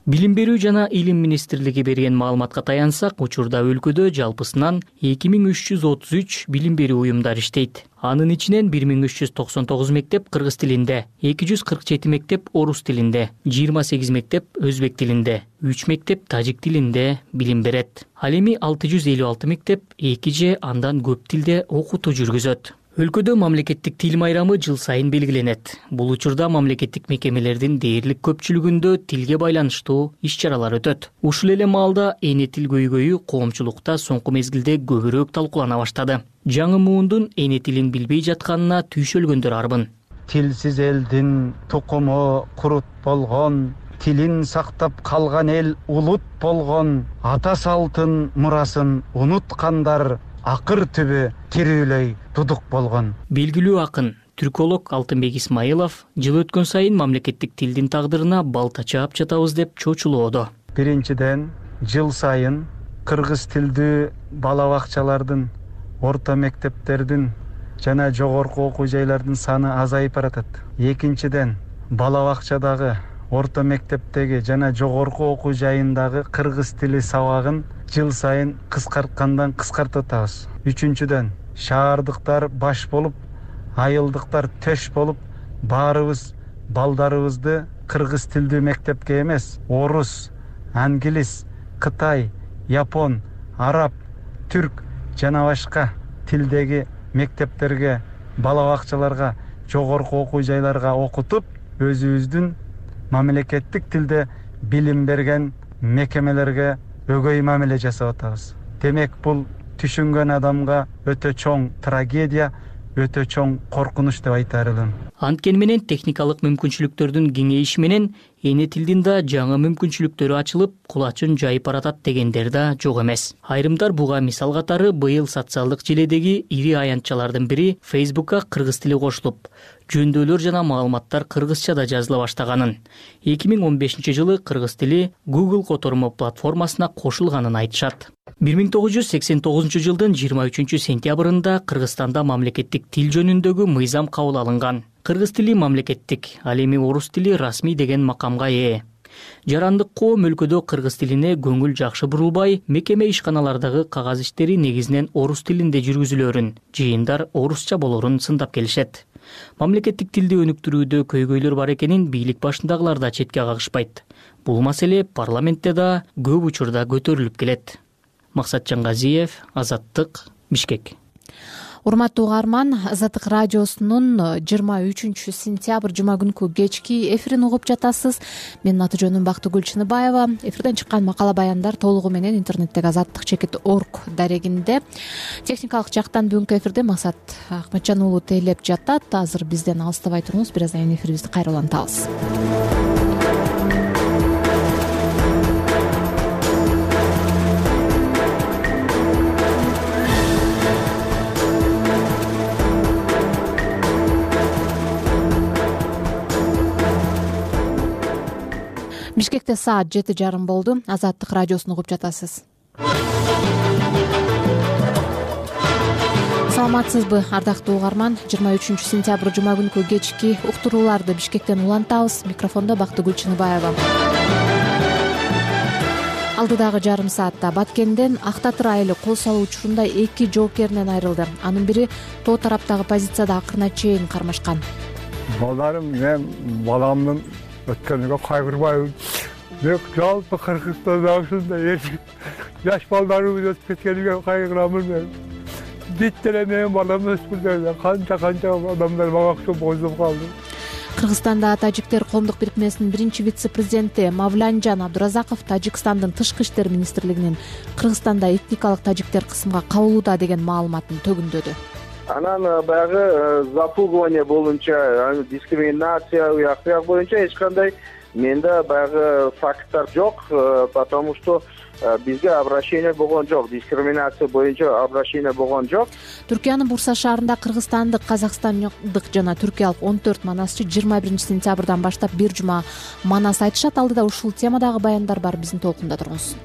Билим берүү жана илим министрлиги берген маалыматка таянсак, учурда өлкөдө жалпысынан 2333 билим берүү уюмдар иштейт. Анын ичинен 1399 мектеп кыргыз тилинде, 247 мектеп орус тилинде, 28 мектеп өзбек тилинде, 3 мектеп тажик тилинде билим берет. Ал эми 656 мектеп 2 же андан көп тилде окутуу жүргүзөт. Өлкөдө мамлекеттик тил майрамы жыл сайын белгиленет. Бул учурда мамлекеттик мекемелердин дээрлик көпчүлүгүндө тилге байланыштуу иш-чаралар өтөт. Ушул эле маалда эне тил көйгөйү коомчулукта соңку мезгилде көбүрөөк талкуулана баштады. Жаңы муундун эне тилин билбей жатканына түйшөлгөндөр арбын. Тилсиз элдин тукуму курут болгон, тилин сактап калган эл улут болгон, ата салтын мурасын унуткандар акыр түбү тирүүлөй тудук болгон. Белгилүү акын, түрколог Алтынбек Исмаилов жыл өткөн сайын мамлекеттик тилдин тагдырына балта чаап жатабыз деп чочулоодо. Биринчиден, жыл сайын кыргыз тилдүү бала бакчалардын, орто мектептердин жана жогорку окуу жайлардын саны азайып баратат. Экинчиден, бала бакчадагы, орто мектептеги жана жогорку окуу жайындагы кыргыз тили сабагын жыл сайын кыскарткандан кыскартып атабыз. Үчүнчүдөн, шаардыктар баш болуп, айылдыктар төш болуп, баарыбыз балдарыбызды кыргыз тилдүү мектепке эмес, орус, англис, кытай, япон, араб, түрк жана башка тилдеги мектептерге, бала бакчаларга, жогорку окуу жайларга окутуп, өзүбүздүн мамлекеттик тилде билим берген мекемелерге өгөй мамиле жасап атабыз. Демек бул түшүнгөн адамга өтө чоң трагедия, өтө чоң коркунуч деп айтаар элем. Анткени менен техникалык мүмкүнчүлүктөрдүн кеңейиши менен эне тилдин да жаңы мүмкүнчүлүктөрү ачылып, кулачын жайып баратат дегендер да жок эмес. Айрымдар буга мисал катары быйыл социалдык желедеги ири аянтчалардын бири Facebook'ка кыргыз тили кошулуп, жөндөөлөр жана маалыматтар кыргызчада жазыла баштаганын, 2015 жылы кыргыз тили Google котормо платформасына кошулганын айтышат. 1989 жылдын 23 сентябрында Кыргызстанда мамлекеттик тил жөнүндөгү мыйзам кабыл алынган. Кыргыз тили мамлекеттик, ал эми орус тили расмий деген макамга ээ. Жарандык коом өлкөдө кыргыз тилине көңүл жакшы бурулбай, мекеме ишканалардагы кагаз иштери негизинен орус тилинде жүргүзүлөрүн, жыйындар орусча болорун сындап келишет. Мамлекеттик тилди өнүктүрүүдө көйгөйлөр бар экенин бийлик башындагылар да четке кагышпайт. Бул маселе парламентте да көп учурда көтөрүлүп келет. Максат Жангазиев, Азаттык, Бишкек. Урматтуу угарман, Азаттык радиосунун 23 сентябрь жума күнкү кечки эфирин угуп жатасыз. Менин аты жөнүм Бактыгүл Чыныбаева. Эфирден чыккан макала баяндар толугу менен интернеттеги azattik.org дарегинде. Техникалык жактан бүгүнкү эфирде Максат Акматжан уулу тейлеп жатат. Азыр бизден алыстабай туруңуз, бир аздан кийин эфирибизди кайра улантабыз. Бишкекте саат 7:30 болду. Азаттык радиосун угуп жатасыз. Саламатсызбы, ардактуу угарман? 23 сентябрь жума күнкү кечки уктурууларды Бишкектен улантабыз. Микрофондо Бактыгүл Чыныбаева. Алдыдагы жарым саатта Баткенден Ак Татыр айылы кол салуу учурунда 2 жоокеринен айрылды. Анын бири тоо тараптагы позицияда акырына чейин кармашкан. Балдарым, мен баламдын өткөнүгө кайгырбайбын. Мен жалпы Кыргызстанда ушундай жаш балдарыбыз өтүп кеткениге кайгырамын мен. Биттеле менин балам өспүрдө канча адамдар мага окшоп боздоп калды. Кыргызстанда тажиктер коомдук бирикмесинин биринчи вице-президенти Мавланжан Абдуразаков Тажикстандын тышкы иштер министрлигинин Кыргызстанда этникалык тажиктер кысымга кабылууда деген маалыматын төгүндөдү. Анан баягы запугивание боюнча, дискриминация уяк боюнча эч кандай менде баягы факттар жок, потому что бизге обращение болгон жок, дискриминация боюнча обращение болгон жок. Түркиянын Бурса шаарында кыргызстандык, казакстандык жана түркиялык 14 манасчы 21 сентябрдан баштап бир жума манас айтышат. Алдыда ушул темадагы баяндар бар, биздин толкунда туруңуз.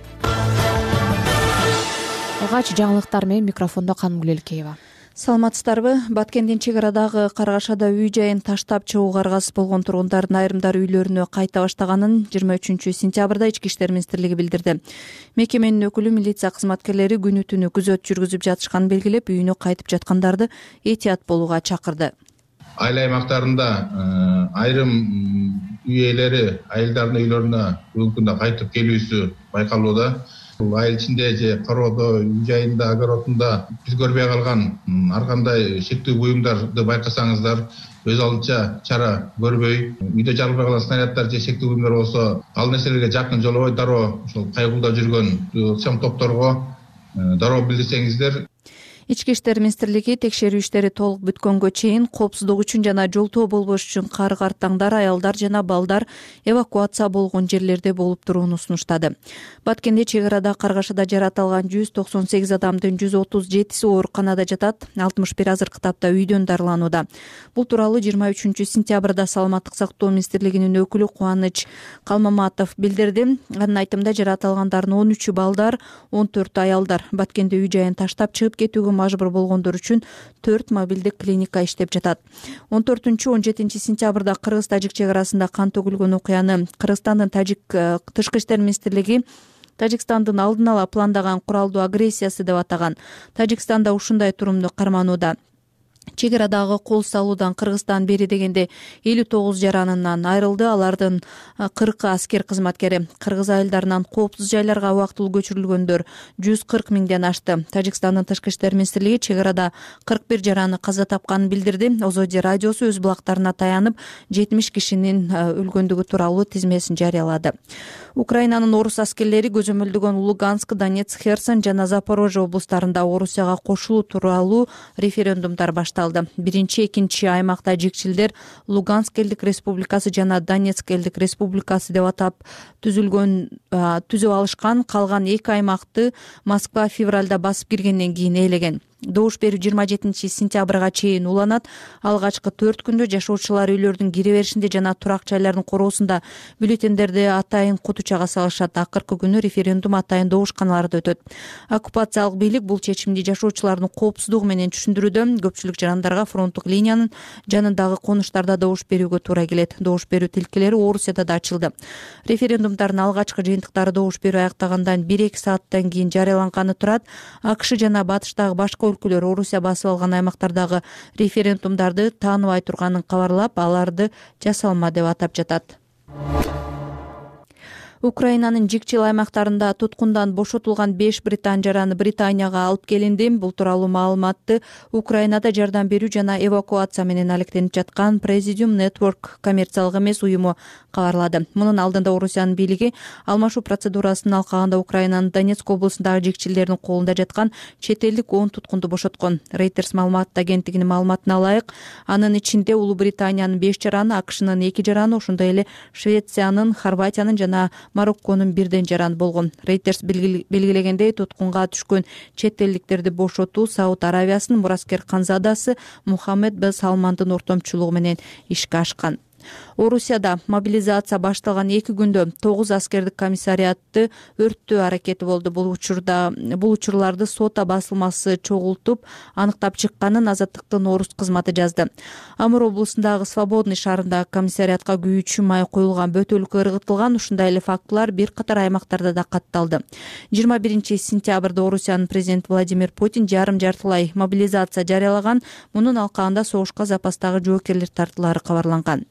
Алгач жаңылыктар менен микрофондо Канымгүл Элкеева. Саламатсыздарбы? Баткендин чек арадагы Каргашада үй жайын таштап чыгууга аргасыз болгон тургундардын айрымдары үйлөрүнө кайта баштаганын 23 сентябрда Ички иштер министрлиги билдирди. Мекеменин өкүлү милиция кызматкерлери күнү түнү күзөт жүргүзүп жатышканын белгилеп, үйүнө кайтып жаткандарды этият болууга чакырды. Айыл аймактарында айрым үй ээлери айылдардын үйлөрүнө бүгүнкү күндө кайтып келүүсү байкалууда. Айыл ичинде же короодо, үй жайында, огородунда биз көрбөй калган ар кандай шектүү буюмдарды байкасаңыздар, өз алдынча чара көрбөй, үйдө жарылбай калган снаряддар же шектүү буюмдар болсо, ал нерселерге жакын жолобой дароо ошол кайгылда жүргөн ыкчам топторго дароо билдирсеңиздер. Ички иштер министрлиги текшерүү иштери толук бүткөнгө чейин коопсуздук үчүн жана жолтоо болбош үчүн кар-картаңдар, аялдар жана балдар эвакуация болгон жерлерде болуп турууну сунуштады. Баткенде чек арада Каргашада жаратылган 198 адамдын 137си ооруканада жатат, 61 азыркы тапта үйдөн дарыланууда. Бул тууралуу 23 сентябрда Саламаттык сактоо министрлигинин өкүлү Кубаныч Калмаматов билдирди. Анын айтымында жаратылгандардын 13-ü балдар, 14 аялдар. Баткенде үй жайын таштап чыгып кетүүгө мажбур болгондор үчүн 4 мобилдик клиника иштеп жатат. 14-17 сентябрда Кыргыз-Тажик чек арасында кан төгүлгөн окуяны Кыргызстандын тышкы иштер министрлиги Тажикстандын алдын ала пландаган куралдуу агрессиясы деп атаган. Тажикстанда ушундай турумду карманууда. Чек арадагы кол салуудан Кыргызстан бери дегенде 59 жаранынан айрылды. Алардын 40 аскер кызматкери. Кыргыз айылдарынан коопсуз жайларга убактылуу көчүрүлгөндөр 140 миңден ашты. Тажикстандын тышкы иштер министрлиги чек арада 41 жараны каза тапканын билдирди. Озоди радиосу өз булактарына таянып 70 кишинин өлгөндүгү тууралуу тизмесин жарыялады. Украинанын орус аскерлери көзөмөлдөгөн Луганск, Донецк, Херсон жана Запорожье облустарында Орусияга кошулуу тууралуу референдумдар башталды. Биринчи, экинчи аймакта жекчилдер Луганск элдик республикасы жана Донецк элдик республикасы деп атап түзүп алышкан. Калган эки аймакты Москва февралда басып киргенден кийин ээлеген. Добуш берүү 27-сентябрга чейин уланат. Алгачкы 4 күндө жашоочулар үйлөрдүн кире беришинде жана турак жайлардын короосунда бюллетендерди атайын кутучага салышат. Акыркы күнү референдум атайын добушканаларда өтөт. Оккупациялык бийлик бул чечимди жашоочулардын коопсуздугу менен түшүндүрүүдө. Көпчүлүк жарандарга фронттук линиянын жанындагы конуштарда добуш берүүгө туура келет. Добуш берүү тилкелери Орусияда да ачылды. Референдумдардын алгачкы жыйынтыктары добуш берүү аяктагандан 1-2 сааттан кийин жарыяланганы турат. АКШ жана батыштагы башка өлкөлөр Орусия басып алган аймактардагы референдумдарды тааныбай турганын кабарлап, аларды жасалма деп атап жатат. Украинанын жикчил аймактарында туткундан бошотулган 5 британ жараны Британияга алып келинди. Бул тууралуу маалыматты Украинада жардам берүү жана эвакуация менен алектенип жаткан Presidium Network коммерциялык эмес уюму кабарлады. Мунун алдында Орусиянын бийлиги алмашуу процедурасын алкаганда Украинанын Донецк облусундагы жикчилердин колунда жаткан чет элдик 10 туткунду бошоткон. Reuters маалымат агенттигинин маалыматына ылайык, анын ичинде Улуу Британиянын 5 жараны, АКШнын 2 жараны, ошондой эле Швециянын, Хорватиянын жана Марокконун бирден жараны болгон. Reuters белгилегендей, туткунга түшкөн чет элдиктерди бошотуу Сауд Аравиясынын мураскер канзадасы Мухаммед бен Салмандын ортомчулугу менен ишке ашкан. Орусияда мобилизация башталган 2 күндө 9 аскердик комиссариатты өрттөө аракети болду. Бул учурларды сота басылмасы чогултуп аныктап чыкканын Азаттыктын Орус кызматы жазды. Амур облусундагы Свободный шаарындагы комиссариатка күйүүчү май коюлган бөтөлкө ыргытылган. Ушундай эле фактылар бир катар аймактарда да катталды. 21-сентябрда Орусиянын президенти Владимир Путин жарым-жартылай мобилизация жарыялаган. Мунун алкагында согушка запастагы жоокерлер тартылары кабарланган.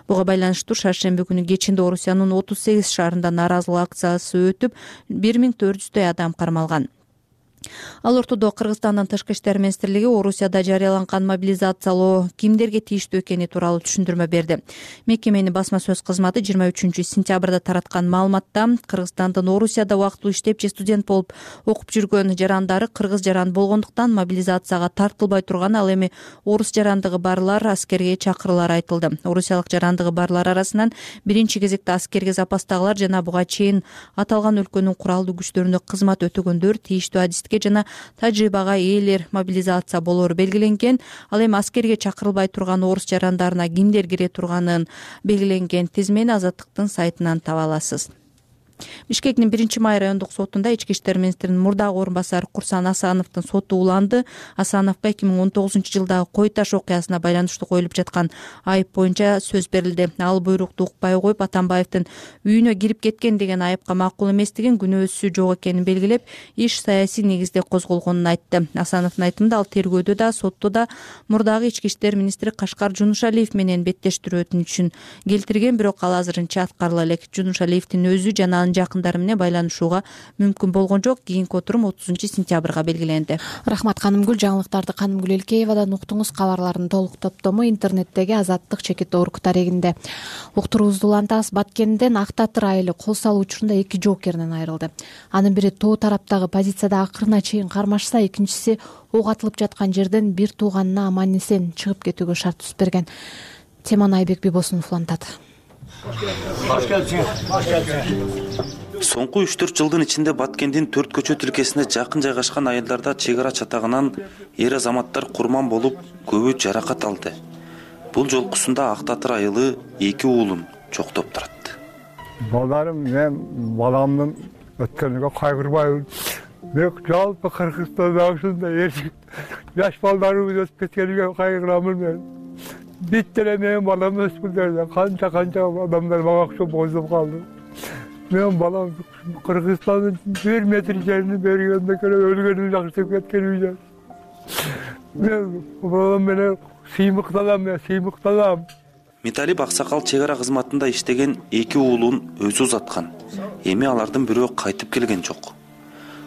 Буга байланыштуу шаршемби күнү кечинде Орусиянын 38 шаарында нааразылык акциясы өтүп, 1400 адам кармалган. Ал ортодо Кыргызстандын тышкы иштер министрлиги Орусияда жарыяланган мобилизациялоо кимдерге тийиштүү экени тууралуу түшүндүрмө берди. Мекеменин басма сөз кызматы 23-сентябрда тараткан маалыматта Кыргызстандын Орусияда убактылуу иштеп же студент болуп окуп жүргөн жарандары кыргыз жаран болгондуктан мобилизацияга тартылбай турган, ал эми орус жарандыгы барлар аскерге чакырылары айтылды. Орусиялык жарандыгы барлар арасынан биринчи кезекте аскерге запастагылар жана буга чейин аталган өлкөнүн куралдуу күчтөрүндө кызмат өтөгөндөр, тийиштүү адистикке жана тажрыйбага ээлер мобилизация болору белгиленген. Ал эми аскерге чакырылбай турган орус жарандарына кимдер кире турганын белгиленген тизмени Азаттыктын сайтынан таба аласыз. Бишкектин 1-май райондук сотунда ички иштер министринин мурдагы орун басары Курсан Асановдун соту уланды. Асановго 2019-жылдагы Кой Таш окуясына байланыштуу коюлуп жаткан айып боюнча сөз берилди. Ал буйрукту укпай коюп, Атамбаевдин үйүнө кирип кеткен деген айыпка макул эместигин, күнөөсү жок экенин белгилеп, иш саясий негизде козголгонун айтты. Асановдун айтымында ал тергөөдө да, сотто да мурдагы ички иштер министри Кашкар Жунушалиев менен беттештирүү өтүнүчүн келтирген, бирок ал азырынча аткарыла элек. Жунушалиевдин өзү жана жакындары менен байланышууга мүмкүн болгон жок. Кийинки отурум 30-сентябрга белгиленди. Рахмат Канымгүл. Жаңылыктарды Канымгүл Элкеевадан уктуңуз. Кабарлардын толук топтому интернеттеги Азаттык чекит орг тарегинде. Уктуруубузду улантабыз. Баткенден Ак Татыр айылы кол салуу учурунда 2 жоокеринен айрылды. Анын бири тоо тараптагы позицияда акырына чейин кармашса, экинчиси ок атылып жаткан жерден бир тууганына аман эсен чыгып кетүүгө шарт түзүп берген. Теманы Айбек Бибосунов улантат. Соңку 3-4 жылдын ичинде Баткендин 4 көчө тилкесине жакын жайгашкан айылдарда чек ара чатагынан эр азаматтар курман болуп, көбү жаракат алды. Бул жолкусунда Ак Татыр айылы 2 уулун чоктоп турат. Балдарым, мен баламдын өткөнүгө кайгырбайбын. Мен жалпы Кыргызстанда ушундай жаш балдарыбыз өтүп кеткениге кайгырамын мен. Биттеле менин балам өспүлдөрдө канча адамдар мага окшоп озуп калды. Мен балам Кыргызстандын 1 метр жерин бергенде өлгөнүн жакшы кеткеним. Мен балам менен сыймыкталам. Металип Аксакал чек ара кызматында иштеген 2 уулун өзү узаткан. Эми алардын бирөө кайтып келген жок.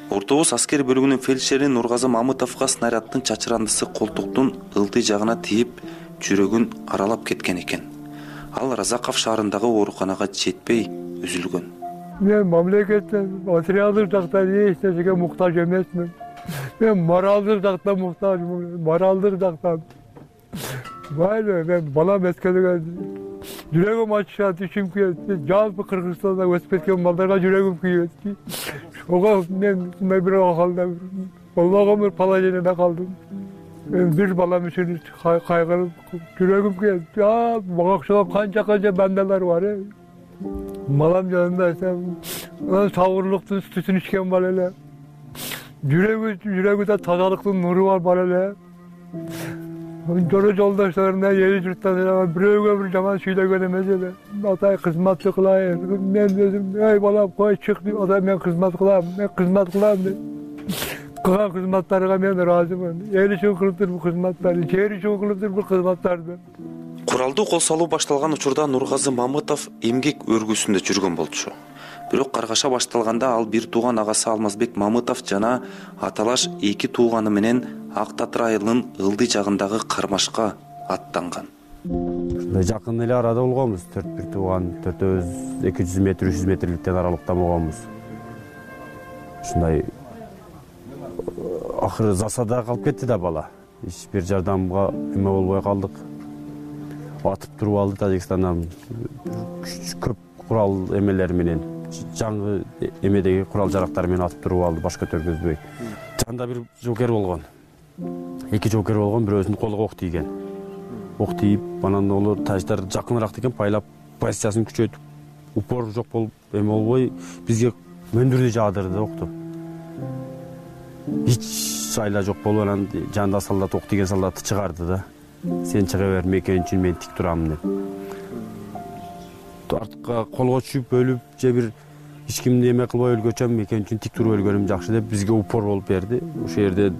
Ортобоз аскер бөлүгүнүн фельдшери Нургазы Мамытовго снаряддын чачырандысы колтуктун ылдый жагына тийип, жүрөгүн аралап кеткен экен. Ал Разаков шаарындагы ооруканага жетпей үзүлгөн. Мен мамлекеттен материалдык жактан эч нерсеге муктаж эмесмин. Мен моралдык жактан муктажмын, моралдык жактан. Майлы, мен балам өткөнүгө жүрөгүм ачышат, ичим күйөт. Жалпы Кыргызстанда өсүп кеткен балдарга жүрөгүм күйөт. Ого мен мындай бир акалда болбогон бир положенияда калдым. Мен бир балам үчүн кайгырып жүрөгүм келип, мага окшогон канча бандалар бар. Балам жанында анан сабырлыктын сүтүн ичкен бала эле. Жүрөгүдө тазалыктын нуру бар эле. Жора жолдошторуна эл журттан бирөөгө бир жаман сүйлөгөн эмес эле. Атай кызматты кылайын. Мен өзүм, ey балам кой чык деп, атай мен кызмат кылам деп. Кылган кызматтарга мен ыраазымын. Эл үчүн кылыптыр бул кызматтарды, жер үчүн кылыптыр бул кызматтарды. Куралдуу кол салуу башталган учурда Нургазы Мамытов эмгек өргүсүндө жүргөн болчу. Бирок каргаша башталганда ал бир тууган агасы Алмазбек Мамытов жана аталаш эки тууганы менен Ак Татыр айылынын ылдый жагындагы кармашка аттанган. Жакын эле арада болгонбуз, 4 тууган, төртөөбүз 200 метр, 300 метрликтен аралыкта болгонбуз. Ушундай акыры засада калып кетти да бала. Эч бир жардамга эме болбой калдык. Атып туруп алды Тажикстандан көп курал эмелери менен, жаңы эмедеги курал жарактар менен атып туруп алды, баш көтөргөзбөй. Жанда бир жоокер болгон. Эки жоокер болгон, бирөөсүнүн колуна ок тийген. Ок тийип, анан олор тажиктар жакыныраак деген байлап позициясын күчөтүп, упор жок болуп, эме болбой бизге мөндүрдү жаадырды окту. Эч айла жок болуп, анан жанында солдат ок тийген солдатты чыгарды да. Сен чыга бер, мекен үчүн мен тик турам деп. Артка колго түшүп өлүп, же бир эч кимди эме кылбай өлгөчөм, мекен үчүн тик туруп өлгөнүм жакшы деп бизге упор болуп берди. Ошол жерде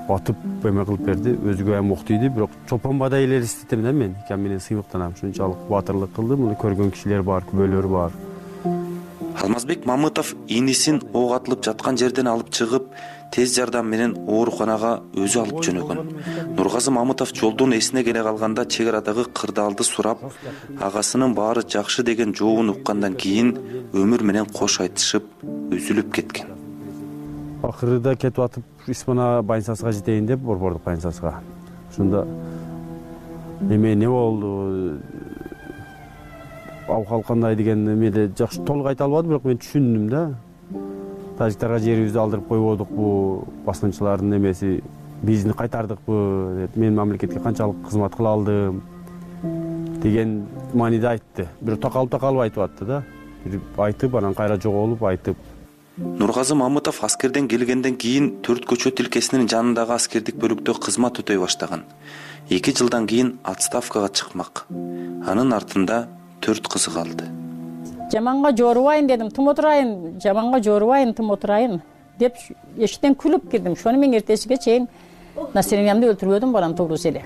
атып эме кылып берди, өзүгө эм ок тийди, бирок чолпонбадай эле эстетем да мен. Икем менен сыймыктанам, ушунчалык батырлык кылды, муну көргөн кишилер бар, күбөлөр бар. Алмазбек Мамытов инисин ок атылып жаткан жерден алып чыгып, тез жардам менен ооруканага өзү алып жөнөгөн. Нургазы Мамытов жолдон эсине келе калганда чек арадагы кырдаалды сурап, агасынын баары жакшы деген жообун уккандан кийин өмүр менен кош айтышып, үзүлүп кеткен. Акырыда кетип атып, Исмана больницасына жетейин деп, борбордук больницасына. Ушунда эме не болду? Абкал кандай деген эмеде жакшы толук айта албадым, бирок мен түшүндүм да. Тажиктарга жерибизди алдырып койбодукпу, баскынчылардын эмеси бизди кайтардыкпы деп, мен мамлекетке канчалык кызмат кыла алдым деген мааниде айтты. Бирок такалып айтып атты да. Бир айтып, анан кайра жоголуп айтып. Нургазы Мамытов аскерден келгенден кийин 4 көчө тилкесинин жанындагы аскердик бөлүктө кызмат өтөй баштаган. 2 жылдан кийин отставкага чыкмак. Анын артында 4 кызы калды. Жаманга жорубайын дедим, тым отурайын, жаманга жорубайын, тым отурайын деп эшиктен күлүп кирдим. Шону мен эртесиге чейин настроениямды өлтүрбөдүм, балам туурусу эле.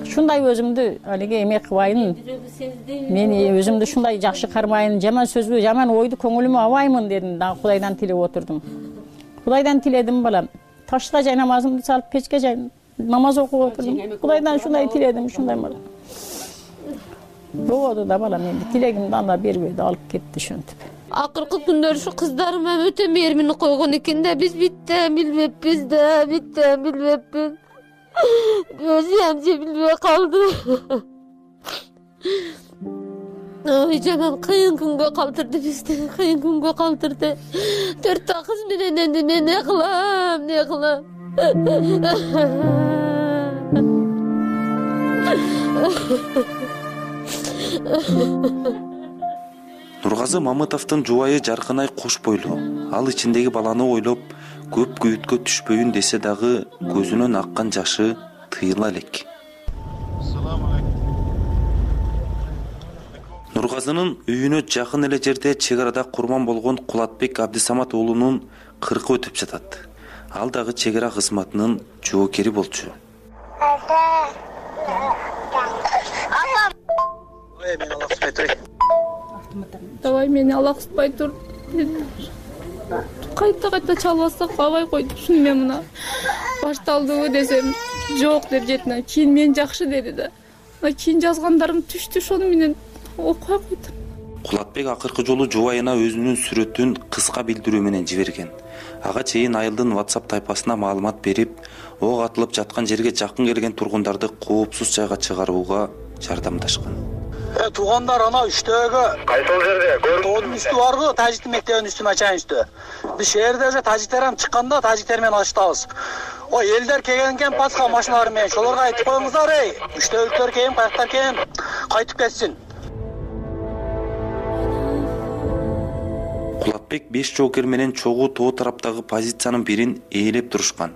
Шундай өзүмдү алиге эме кылбайын, мен өзүмдү шундай жакшы кармайын, жаман сөзбү, жаман ойду көңүлүмө албаймын дедим, да Кудайдан тилеп отурдум. Кудайдан тиледим, балам. Ташта жай намазымды салып, печке жай намаз окуп отурдум. Кудайдан шундай тиледим, шундай балам. Болду да балам, менин тилегимди анда бербейди, алып кетти ошентип. Акыркы күндөр ушу кыздарыма өтө мээримин койгон экен да, биз биттен билбеппиз да, биттен билбеппиз. Өзүм же билбей калды. Ой, жаман кыйын күнгө калтырды бизди, кыйын күнгө калтырды. 4 кыз менен энди мен не кылам? Нургазы Мамытовдун жубайы Жаркынай кош бойлуу. Ал ичиндеги баланы ойлоп, көп күйүткө түшпөйүн десе дагы көзүнөн аккан жашы тыйыла элек. Нургазынын үйүнө жакын эле жерде чек арада курман болгон Кулатбек Абдисамат уулунун 40 өтүп жатат. Ал дагы чек ара кызматынын жоокери болчу. Давай мени алаксытпай тур. Кайта чалбасак абай койду. Шуну мен мына башталдыбы десем, жок деп жетине. Кийин мен жакшы деди да. Кийин жазгандарым түштү, ошону менен окуй койдум. Кулатбек акыркы жолу жубайына өзүнүн сүрөтүн кыска билдирүү менен жиберген. Ага чейин айылдын WhatsApp тайпасына маалымат берип, ок атылып жаткан жерге жакын келген тургундарды коопсуз жайга чыгарууга жардамдашкан. Туугандар ана үчтөгө. Кайсыл жерде? Тоодун үстү барбы? Тажиктин мектебинин үстү начальный үстү. Биз шээрде уже тажиктер ham чыкканда тажиктер менен алыштабыз. Ой, элдер келген экен пасха машиналары менен. Шолорго айтып коюңуздар, эй, үчтөгүлөр кийин, каяктар кийин, кайтып кетсин. Кулатбек 5 жоокер менен чогуу тоо тараптагы позициянын бирин ээлеп турушкан.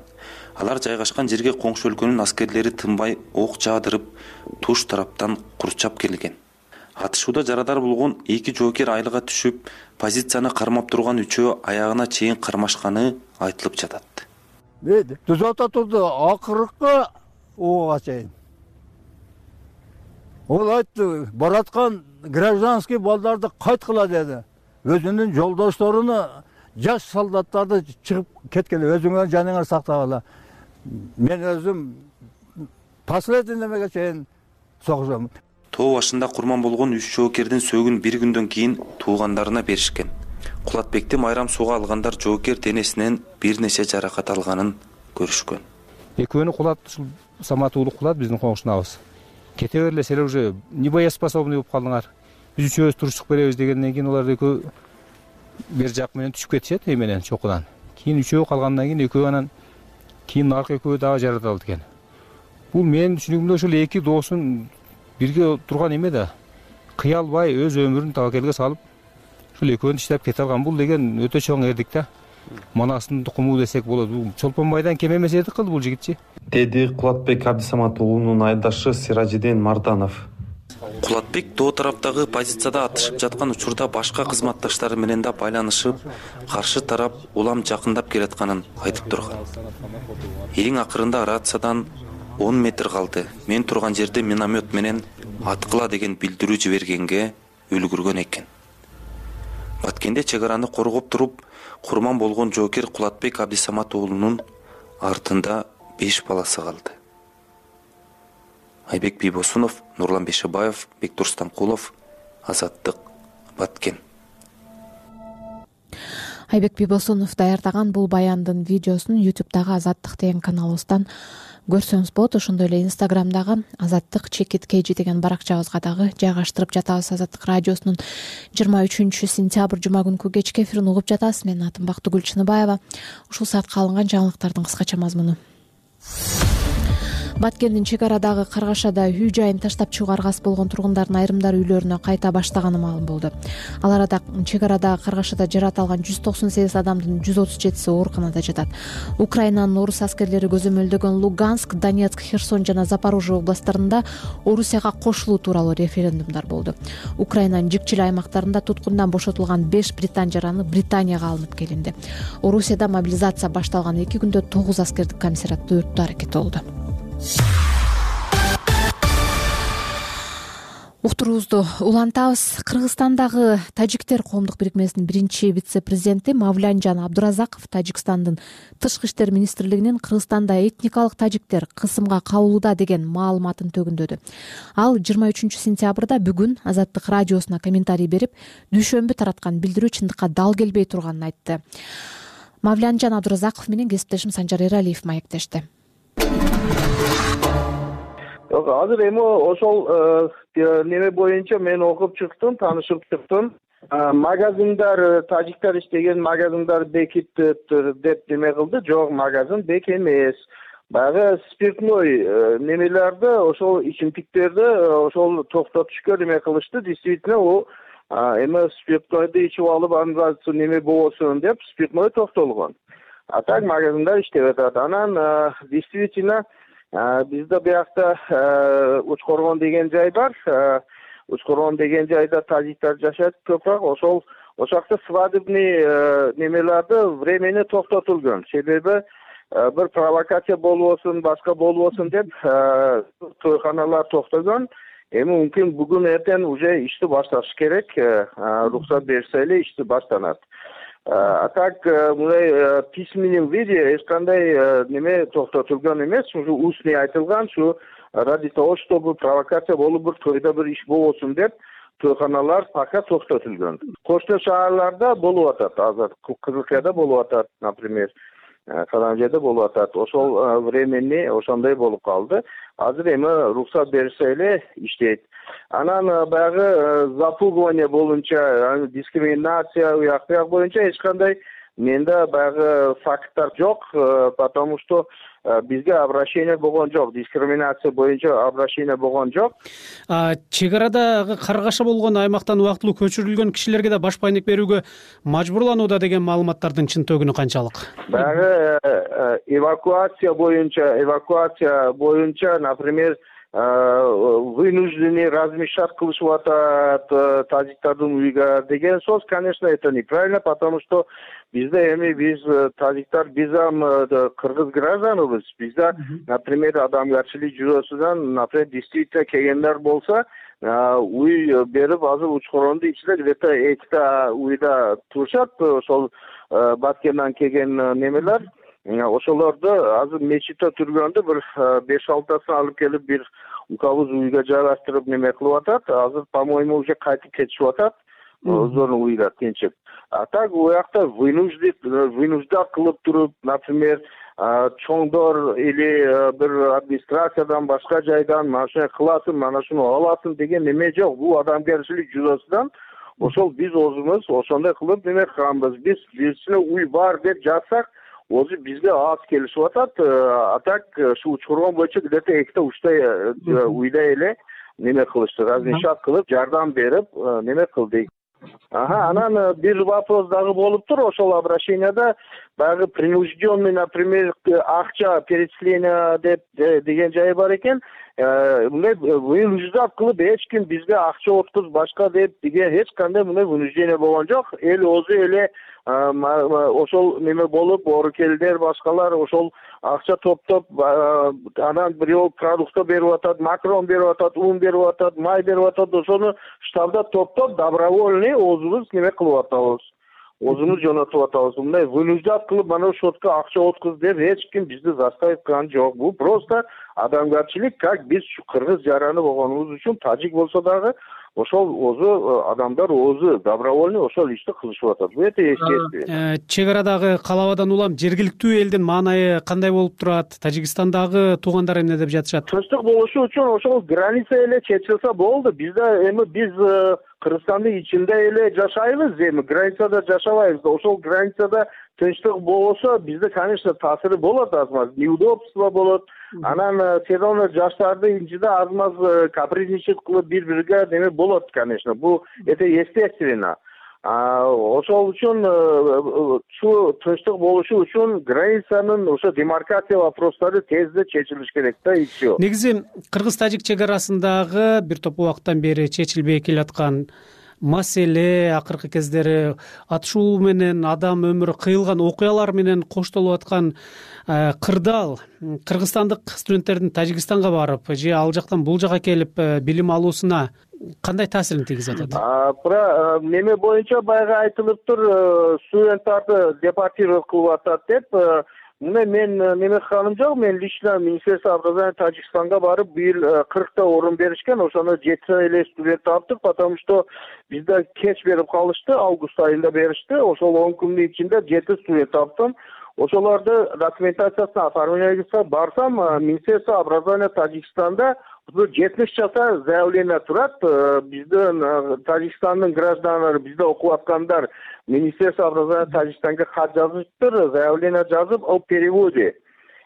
Алар жайгашкан жерге коңшу өлкөнүн аскерлери тынбай ок жаадырып, туш тараптан курчап келген. Атышууда жарадар болгон 2 жоокер айлыга түшүп, позицияны кармап турган үчөө аягына чейин кармашканы айтылып жатат. Түзөтө турду, акыркы ууга чейин. Ол айтты, бараткан гражданский балдарды кайткыла деди. Өзүнүн жолдошторуну, жаш солдаттарды чыгып кеткеле, өзүңөр жаныңар сактагыла. Мен өзүм последний немеге чейин согушам. Тоо башында курман болгон 3 жоокердин сөөгүн бир күндөн кийин туугандарына беришкен. Кулатбекти майрам сууга алгандар жоокер денесинен бир нече жаракат алганын көрүшкөн. Экөөнү кулат, Самат уулу кулат биздин коңшунабыз. Кете берле, силер уже небоеспособный болуп калдыңар. Биз үчөөбүз туруштук беребиз дегенден кийин алар экөө бер жак менен түшүп кетишет менен чокудан. Кийин үчөө калгандан кийин экөө анан кийин аркы экөө дагы жаратылды экен. Бул менин түшүнүгүмдө ошол 2 доосун бирге турган эме да. Кыялбай өз өмүрүн табакелге салып, ошол экөөнү иштеп кете алган. Бул деген өтө чоң эрдик да. Манастын тукуму десек болот. Бул Чолпонбайдан кем эмес эрдик кылды бул жигитчи. Деди Кулатбек Абдисамат уулунун айылдашы Сиражидин Марданов. Кулатбек тоо тараптагы позицияда атышып жаткан учурда башка кызматташтары менен да байланышып, каршы тарап улам жакындап келатканын айтып турган. Эң акырында рациядан 10 метр калды. Мен турган жерде миномет менен аткыла деген билдирүү жибергенге үлгүргөн экен. Баткенде чек араны коргоп туруп, курман болгон жоокер Кулатбек Абдисамат уулунун артында 5 баласы калды. Айбек Бийбосунов, Нурлан Бешебаев, Бектур Станкулов, Азаттык, Баткен. Айбек Бийбосунов даярдаган бул баяндын видеосун YouTube'дагы Азаттык деген каналыбыздан көрсөңүз болот. Ошондой эле Instagram'дагы Азаттык ЧКТ деген баракчабызга дагы жайгаштырып жатабыз. Азаттык радиосунун 23-сентябрь жума күнкү кечки эфирин угуп жатасыз. Менин атым Бактыгүл Чыныбаева. Ушул саатка алынган жаңылыктардын кыскача мазмуну. Баткендин чек арадагы Каргашада үй жайын таштап чыгууга аргасыз болгон тургундардын айрымдары үйлөрүнө кайта баштаганы маалым болду. Ал арада чек арадагы Каргашада жаракат алган 198 адамдын 137си ооруканада жатат. Украинанын орус аскерлери көзөмөлдөгөн Луганск, Донецк, Херсон жана Запорожье областтарында Орусияга кошулуу тууралуу референдумдар болду. Украинанын жикчил аймактарында туткундан бошотулган 5 британ жараны Британияга алынып келинди. Орусияда мобилизация башталган 2 күндө 9 аскердик комиссариатты өрттөө аракети болду. Уктуруубузду улантабыз. Кыргызстандагы тажиктер коомдук бирикмесинин биринчи вице-президенти Мавлянжан Абдуразаков Тажикстандын тышкы иштер министрлигинин Кыргызстанда этникалык тажиктер кысымга кабылууда деген маалыматын төгүндөдү. Ал 23-сентябрда бүгүн Азаттык радиосуна комментарий берип, дүйшөмбү тараткан билдирүү чындыкка дал келбей турганын айтты. Мавлянжан Абдуразаков менен кесиптешим Санжар Эралиев маектешти. Азыр эми ошол неме боюнча мен окуп чыктым, таанышып чыктым. Магазиндар, тажиктер иштеген магазиндар бекитти деп неме кылды. Жок, магазин бек эмес. Баягы спиртной немелерди, ошол ичимдиктерди ошол токтотушка неме кылышты. Действительно, о эми спиртнойду ичип алып, анда неме болбосун деп спиртной токтолгон. А так магазиндар иштеп атат. Анан действительно бизде биякта Учкоргон деген жай бар. Учкоргон деген жайда тажиктер жашайт көбүрөөк. Ошол жакта свадебный немелерди времени токтотулган. Себеби бир провокация болбосун, башка болбосун деп тойханалар токтогон. Эми мүмкүн бүгүн эртең уже ишти башташ керек. Уруксат берсе эле ишти баштанат. А так мындай письменном виде эч кандай неме токтотулган эмес, ушу устный айтылган, ушу ради того, чтобы провокация болуп бир тойдо бир иш болбосун деп тойханалар пока токтотулган. Кошто шаарларда болуп атат, азыр Кызылкаяда болуп атат, например. калган жерде болуп атат. Ошол времени ошондой болуп калды. Азыр эми уруксат беришсе эле иштейт. Анан баягы запугивание боюнча, дискриминация уяк буяк боюнча эч кандай менде баягы факттар жок, потому что бизге обращение болгон жок, дискриминация боюнча обращение болгон жок. Чек арадагы каргааша болгон аймактан убактылуу көчүрүлгөн кишилерге да баш байнек берүүгө мажбурланууда деген маалыматтардын чынтөгүнү канчалык? Баягы эвакуация боюнча, например, вынуждены размещать кылышып атат тажиктардын уйга деген сөз, конечно, это неправильно, потому что бизде биз тажиктар, биз кыргыз гражданыбыз. Бизде, например, адамгерчилик жүрөсүнөн, например, действительно келгендер болсо, уй берип, азыр учкурондун ичинде где-то 2 уйда турушат, ошол Баткендан келген немелер. Ошолорду азыр мечитте түргөндө бир 5-6тасын алып келип бир укабыз уйга жайгаштырып неме кылып атат. Азыр, по-моему, уже кайтып кетишип атат. Өздөрүнүн уйга тинчип. А так уякта вынуждат кылып туруп, например, чоңдор или бир администрациядан башка жайдан мана шуну кыласың, мана шуну аласың деген неме жок. Бул адамгерчилик жүрөсүнөн ошол биз өзүбүз ошондой кылып неме кылганбыз. Бизчине уй бар деп жатсак, өзү бизге аз келишип атат. А так ушу учкургон боюнча где-то 2-3 уйда эле неме кылышты, размещать кылып, жардам берип, неме кылдык. Анан бир вопрос дагы болуптур ошол обращенияда, баягы принужденный, например, акча перечисление деп деген жай бар экен. Мындай вынуждат кылып эч ким бизге акча откуз башка деп деген эч кандай мындай вынуждение болгон жок. Эл өзү эле ошол неме болуп, орукелдер башкалар ошол акча топтоп, анан бирөө продукты берип атат, макарон берип атат, ун берип атат, май берип атат, ошону штабда топтоп добровольный өзүбүз неме кылып атабыз. Өзүбүз жөнөтүп атабыз. Мындай вынуждат кылып мына ошотко акча откуз деп эч ким бизди заставить кылган жок. Бул просто адамгерчилик, как биз кыргыз жараны болгонубуз үчүн, тажик болсо дагы ошол өзү адамдар өзү добровольный ошол ишти кылышып атат. Бул өтө естественно. Чек арадагы калабадан улам жергиликтүү элдин маанайы кандай болуп турат? Тажикстандагы туугандар эмне деп жатышат? Тынчтык болушу үчүн ошол граница эле чечилсе болду. Бизде биз Кыргызстандын ичинде эле жашайбыз, границада жашабайбыз. Ошол границада тынчтык болсо бизде, конечно, таасири болот азмаз, неудобство болот. Анан все равно жаштардын ичинде азмаз капризничать кылып бири-бирге неме болот, конечно. Бул это естественно. Ошол үчүн ушу тынчтык болушу үчүн границанын ошо демаркация вопростары тезде чечилиш керек да, и все. Негизи кыргыз-тажик чек арасындагы бир топ убакыттан бери чечилбей келаткан маселе, акыркы кездери атышуу менен адам өмүрү кыйылган окуялар менен коштолуп аткан кырдаал кыргызстандык студенттердин Тажикстанга барып же ал жактан бул жака келип билим алуусуна кандай таасирин тийгизип атат? Про неме боюнча баягы айтылыптыр, студенттарды депортировать кылып атат деп. Мен неме кылганым жок. Мен лично Министерство образования Тажикстанга барып, быйыл 40 орун беришкен. Ошону 7 эле студент таптык, потому что бизде кеч берип калышты, август айында беришти. Ошол 10 күндүн ичинде 7 студент таптым. Ошолорду документациясына оформлениеге барсам, Министерство образования Тажикстанда 70 часа заявление турат. Биздин Тажикстандын гражданлары, бизде окуп аткандар Министерство образования Тажикстанга кат жазыптыр, заявление жазып, о переводе.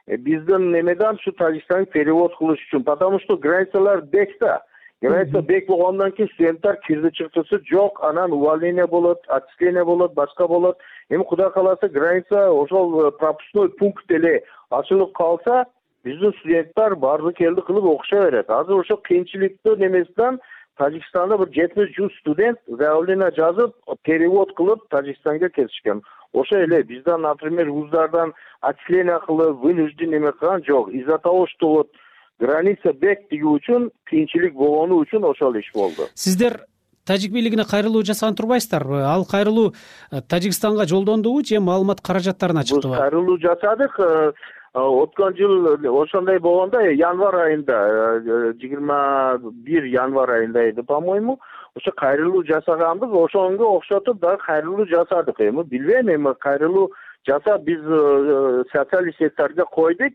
Биздин немеден ушу Тажикстанга перевод кылыш үчүн, потому что границалар бекте. Граница бек болгондон кийин студенттер кирди чыктысы жок, анан увольнение болот, отчисление болот, башка болот. Эми кудай кааласа граница ошол пропускной пункт эле ачылып калса, биздин студенттер барды келди кылып окуша берет. Азыр ошо кыйынчылыктуу немесинен Тажикстанда бир 70-100 студент заявление жазып, перевод кылып Тажикстанга кетишкен. Ошо эле бизден, например, вуздардан отчисление кылып, вынужден неме кылган жок. Из-за того, что вот граница бек тиги үчүн, кыйынчылык болгону үчүн ошол иш болду. Сиздер тажик бийлигине кайрылуу жасаган турбайсыздарбы? Ал кайрылуу Тажикстанга жолдондубу же маалымат каражаттарына чыктыбы? Биз кайрылуу жасадык. Өткөн жыл ошондой болгондо январь айында, 21 январь айында эди, по-моему, ошо кайрылуу жасаганбыз. Ошонго окшотуп дагы кайрылуу жасадык. Эми билбейм, кайрылуу жасап биз социальный секторго койдук.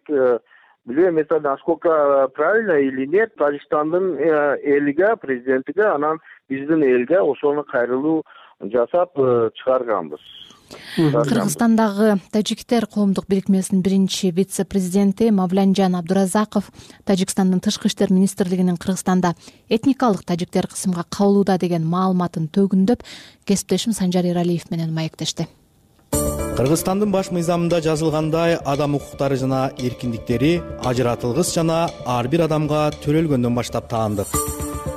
Билбейм, это насколько правильно или нет, Тажикстандын элиге, президентиге, анан биздин элге ошону кайрылуу жасап чыгарганбыз. Кыргызстандагы тажиктер коомдук бирикмесинин биринчи вице-президенти Мавлянжан Абдуразаков Тажикстандын тышкы иштер министрлигинин Кыргызстанда этникалык тажиктер кысымга кабылууда деген маалыматын төгүндөп, кесиптешим Санжар Эралиев менен маектешти. Кыргызстандын баш мыйзамында жазылгандай, адам укуктары жана эркиндиктери ажыратылгыс жана ар бир адамга төрөлгөндөн баштап таандык.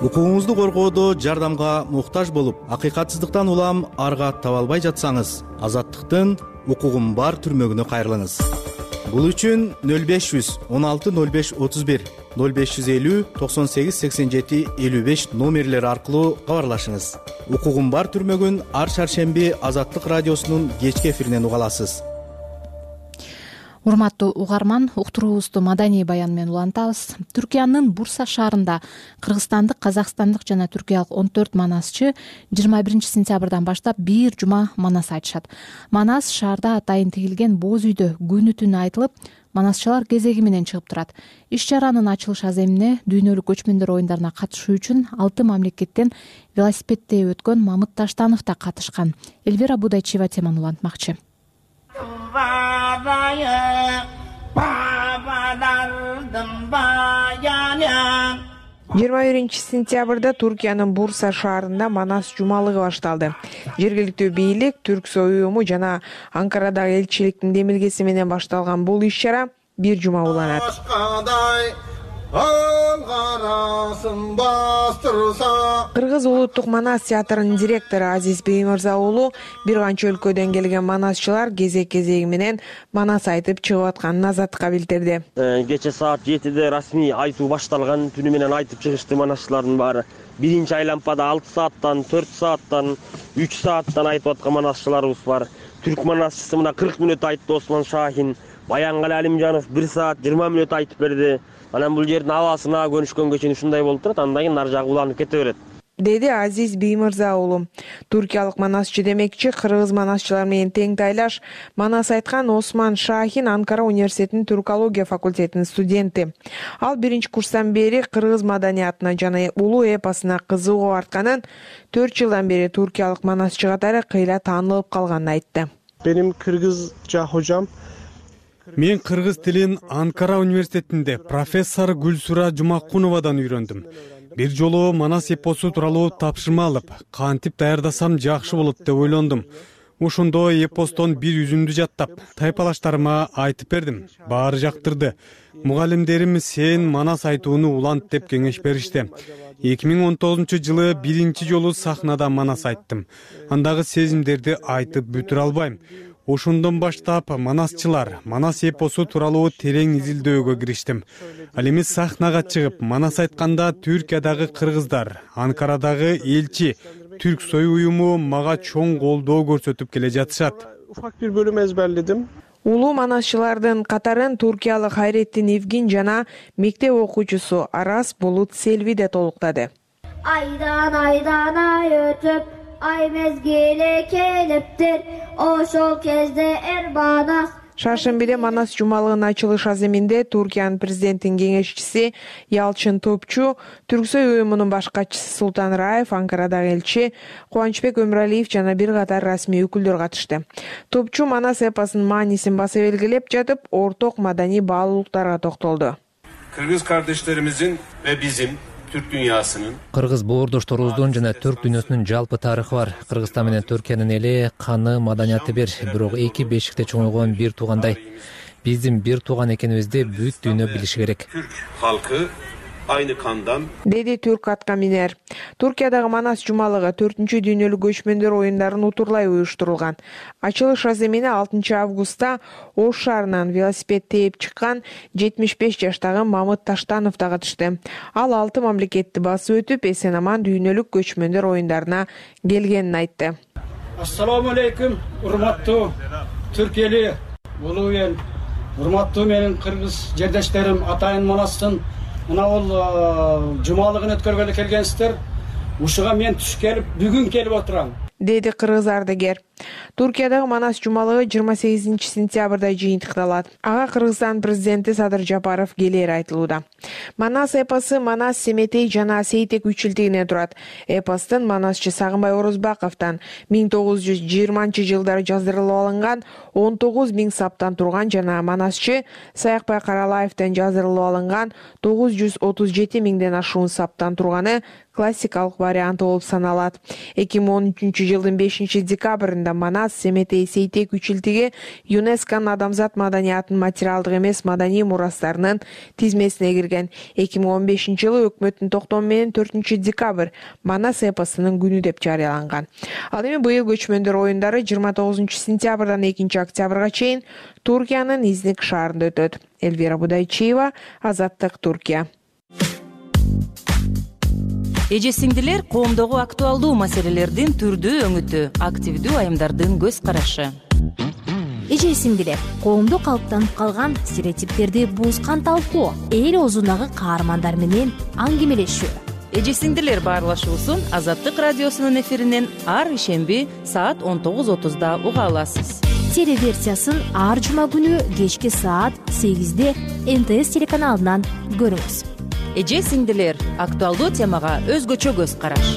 Укугуңузду коргоодо жардамга муктаж болуп, акыйкатсыздыктан улам арга таба албай жатсаңыз, азаттыктын укугум бар түрмөгүнө кайрылыңыз. Бул үчүн 0500 16 05 31 0550 98 87 55 номерлери аркылуу кабарлашыңыз. Укугум бар түрмөгүн ар шаршемби Азаттык радиосунун кечки эфиринен уга аласыз. Урматтуу угарман, уктуруубузду маданий баян менен улантабыз. Түркиянын Бурса шаарында кыргызстандык, казакстандык жана түркиялык 14 манасчы 21 сентябрдан баштап бир жума манас айтышат. Манас шаарда атайын тигилген боз үйдө күнү түнү айтылып, манасчылар кезеги менен чыгып турат. Иш-чаранын ачылыш аземине дүйнөлүк көчмөндөр оюндарына катышуу үчүн 6 мамлекеттен велосипедде өткөн Мамыт Таштанов да катышкан. Эльвира Будайчева теманы улантмакчы. 21 сентябрда Туркиянын Бурса шаарында манас жумалыгы башталды. Жергиликтүү бийлик, Түрксой уюму жана Анкарадагы элчиликтин демилгеси менен башталган бул иш-чара бир жума уланат. Кыргыз улуттук манас театрынын директору Азиз Беймырза уулу бир канча өлкөдөн келген манасчылар кезек-кезеги менен манас айтып чыгып атканын Азаттыкка билдирди. Кече саат 7-де расмий айтуу башталган, түнү менен айтып чыгышты манасчылардын баары. Биринчи айлампада 6 сааттан, 4 сааттан, 3 сааттан айтып аткан манасчыларыбыз бар. Түрк манасчысы мына 40 мүнөт айтты Осман Шахин, Баянгали Алимжанов 1 саат 20 мүнөт айтып берди. Анан бул жердин абасына көнүшкөнгө чейин ушундай болуп турат, андан кийин ар жагы уланып кете берет. Деди Азиз Беймырза уулу. Туркиялык манасчы демекчи, кыргыз манасчылар менен тең тайлаш манас айткан Осман Шахин Анкара университетинин түркология факультетинин студенти. Ал биринчи курстан бери кыргыз маданиятына жана улуу эпосуна кызыгуу артканын, 4 жылдан бери туркиялык манасчы катары кыйла таанылып калганын айтты. Benim Kırgızca hocam. Мен кыргыз тилин Анкара университетинде профессор Гүлсура Жумакуновадан үйрөндүм. Бир жолу манас эпосу тууралуу тапшырма алып, кантип даярдасам жакшы болот деп ойлондум. Ошондо эпостон бир үзүндү жаттап, тайпалаштарыма айтып бердим. Баары жактырды. Мугалимдерим сен манас айтууну улант деп кеңеш беришти. 2019-жылы биринчи жолу сахнада манас айттым. Андагы сезимдерди айтып бүтүрө албайм. Ошондон баштап манасчылар, манас эпосу тууралуу терең изилдөөгө кириштим. Ал эми сахнага чыгып манас айтканда Түркиядагы кыргыздар, Анкарадагы элчи, Түрксой уюму мага чоң колдоо көрсөтүп келе жатышат. Ufak bir bölüm ezberledim. Улуу манасчылардын катарын туркиялык Хайреттин Евгин жана мектеп окуучусу Арас Булут Селви де толуктады. Айдан ай өтүп, ай мезгили келиптир, ошол кезде манас. Шаршембиде манас жумалыгынын ачылыш аземинде Туркиянын президентинин кеңешчиси Ялчын Топчу, Түрксой уюмунун баш катчысы Султан Раев, Анкарадагы элчи Кубанычбек Өмүралиев жана бир катар расмий өкүлдөр катышты. Топчу манас эпосунун маанисин баса белгилеп жатып, орток маданий баалуулуктарга токтолду. Kırgız kardeşlerimizin ve bizim Türk dünyasının Кыргыз боордошторубуздун жана Түрк дүйнөсүнүн жалпы тарыхы бар. Кыргызстан менен Түркиянын эли, каны, маданияты бир, бирок эки бешикте чоңойгон бир туугандай. Биздин бир тууган экенибизди бүт дүйнө билиши керек. Türk halkı aynı kandan. Деди түрк атка минер. Туркиядагы манас жумалыгы 4-чү дүйнөлүк көчмөндөр оюндарын утурлай уюштурулган. Ачылыш аземине 6 августта Ош шаарынан велосипед тээп чыккан 75 жаштагы Мамыт Таштанов да катышты. Ал 6 мамлекетти басып өтүп, эсен-аман дүйнөлүк көчмөндөр оюндарына келгенин айтты. Ассаламу алейкум, урматтуу түрк эли, улуу эл, урматтуу менин кыргыз жердештерим, атайын манастын мына бул жумалыгын өткөргөлү келгенсиздер. Ушуга мен түш келип, бүгүн келип отурам. Деди кыргыз ардыгер. Туркиядагы Манас жумалыгы 28-сентябрда жыйынтыкталат. Ага Кыргызстан президенти Садыр Жапаров келери айтылууда. Манас эпосу Манас, Семетей жана Сейтек 3 чилтигинен турат. Эпостун манасчы Сагынбай Орозбаковдон 1920-жылдары жаздырылып алынган 19.000 саптан турган жана манасчы Саякбай Каралаевден жаздырылып алынган 937.000ден ашуун саптан турганы классикалык варианты болуп саналат. 2013-жылдын 5-декабрында Манас, Семетей, Сейтек 3 чилтиги ЮНЕСКОнун адамзат маданиятынын материалдык эмес маданий мурастарынын тизмесине кирген. 2015-жылы өкмөттүн токтому менен 4-декабрь Манас эпосунун күнү деп жарыяланган. Ал эми быйыл көчмөндөр оюндары 29-сентябрдан 2-октябрга чейин Туркиянын Изник шаарында өтөт. Элвира Будайчиева, Азаттык, Туркия. Эже сиңдилер, коомдогу актуалдуу маселелердин түрдүү өңүтү, активдүү айымдардын көз карашы. Эже сиңдилер, коомдо калыптанып калган стереотиптерди буузган талкуу, эл оозундагы каармандар менен аңгемелешүү. Эже сиңдилер баарлашуусун Азаттык радиосунун эфиринен ар ишемби саат 19:30 уга аласыз. Телеверсиясын ар жума күнү кечки саат 8-де НТС телеканалынан көрүңүз. Эже сиңдилер, актуалдуу темага өзгөчө көз караш.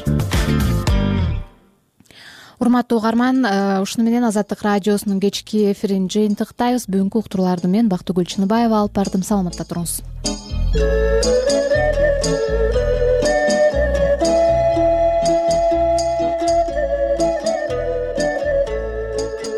Урматтуу угарман, ушуну менен Азаттык радиосунун кечки эфирин жыйынтыктайбыз. Бүгүнкү уктурууларды мен Бактыгүл Чыныбаева алып бардым. Саламатта туруңуз.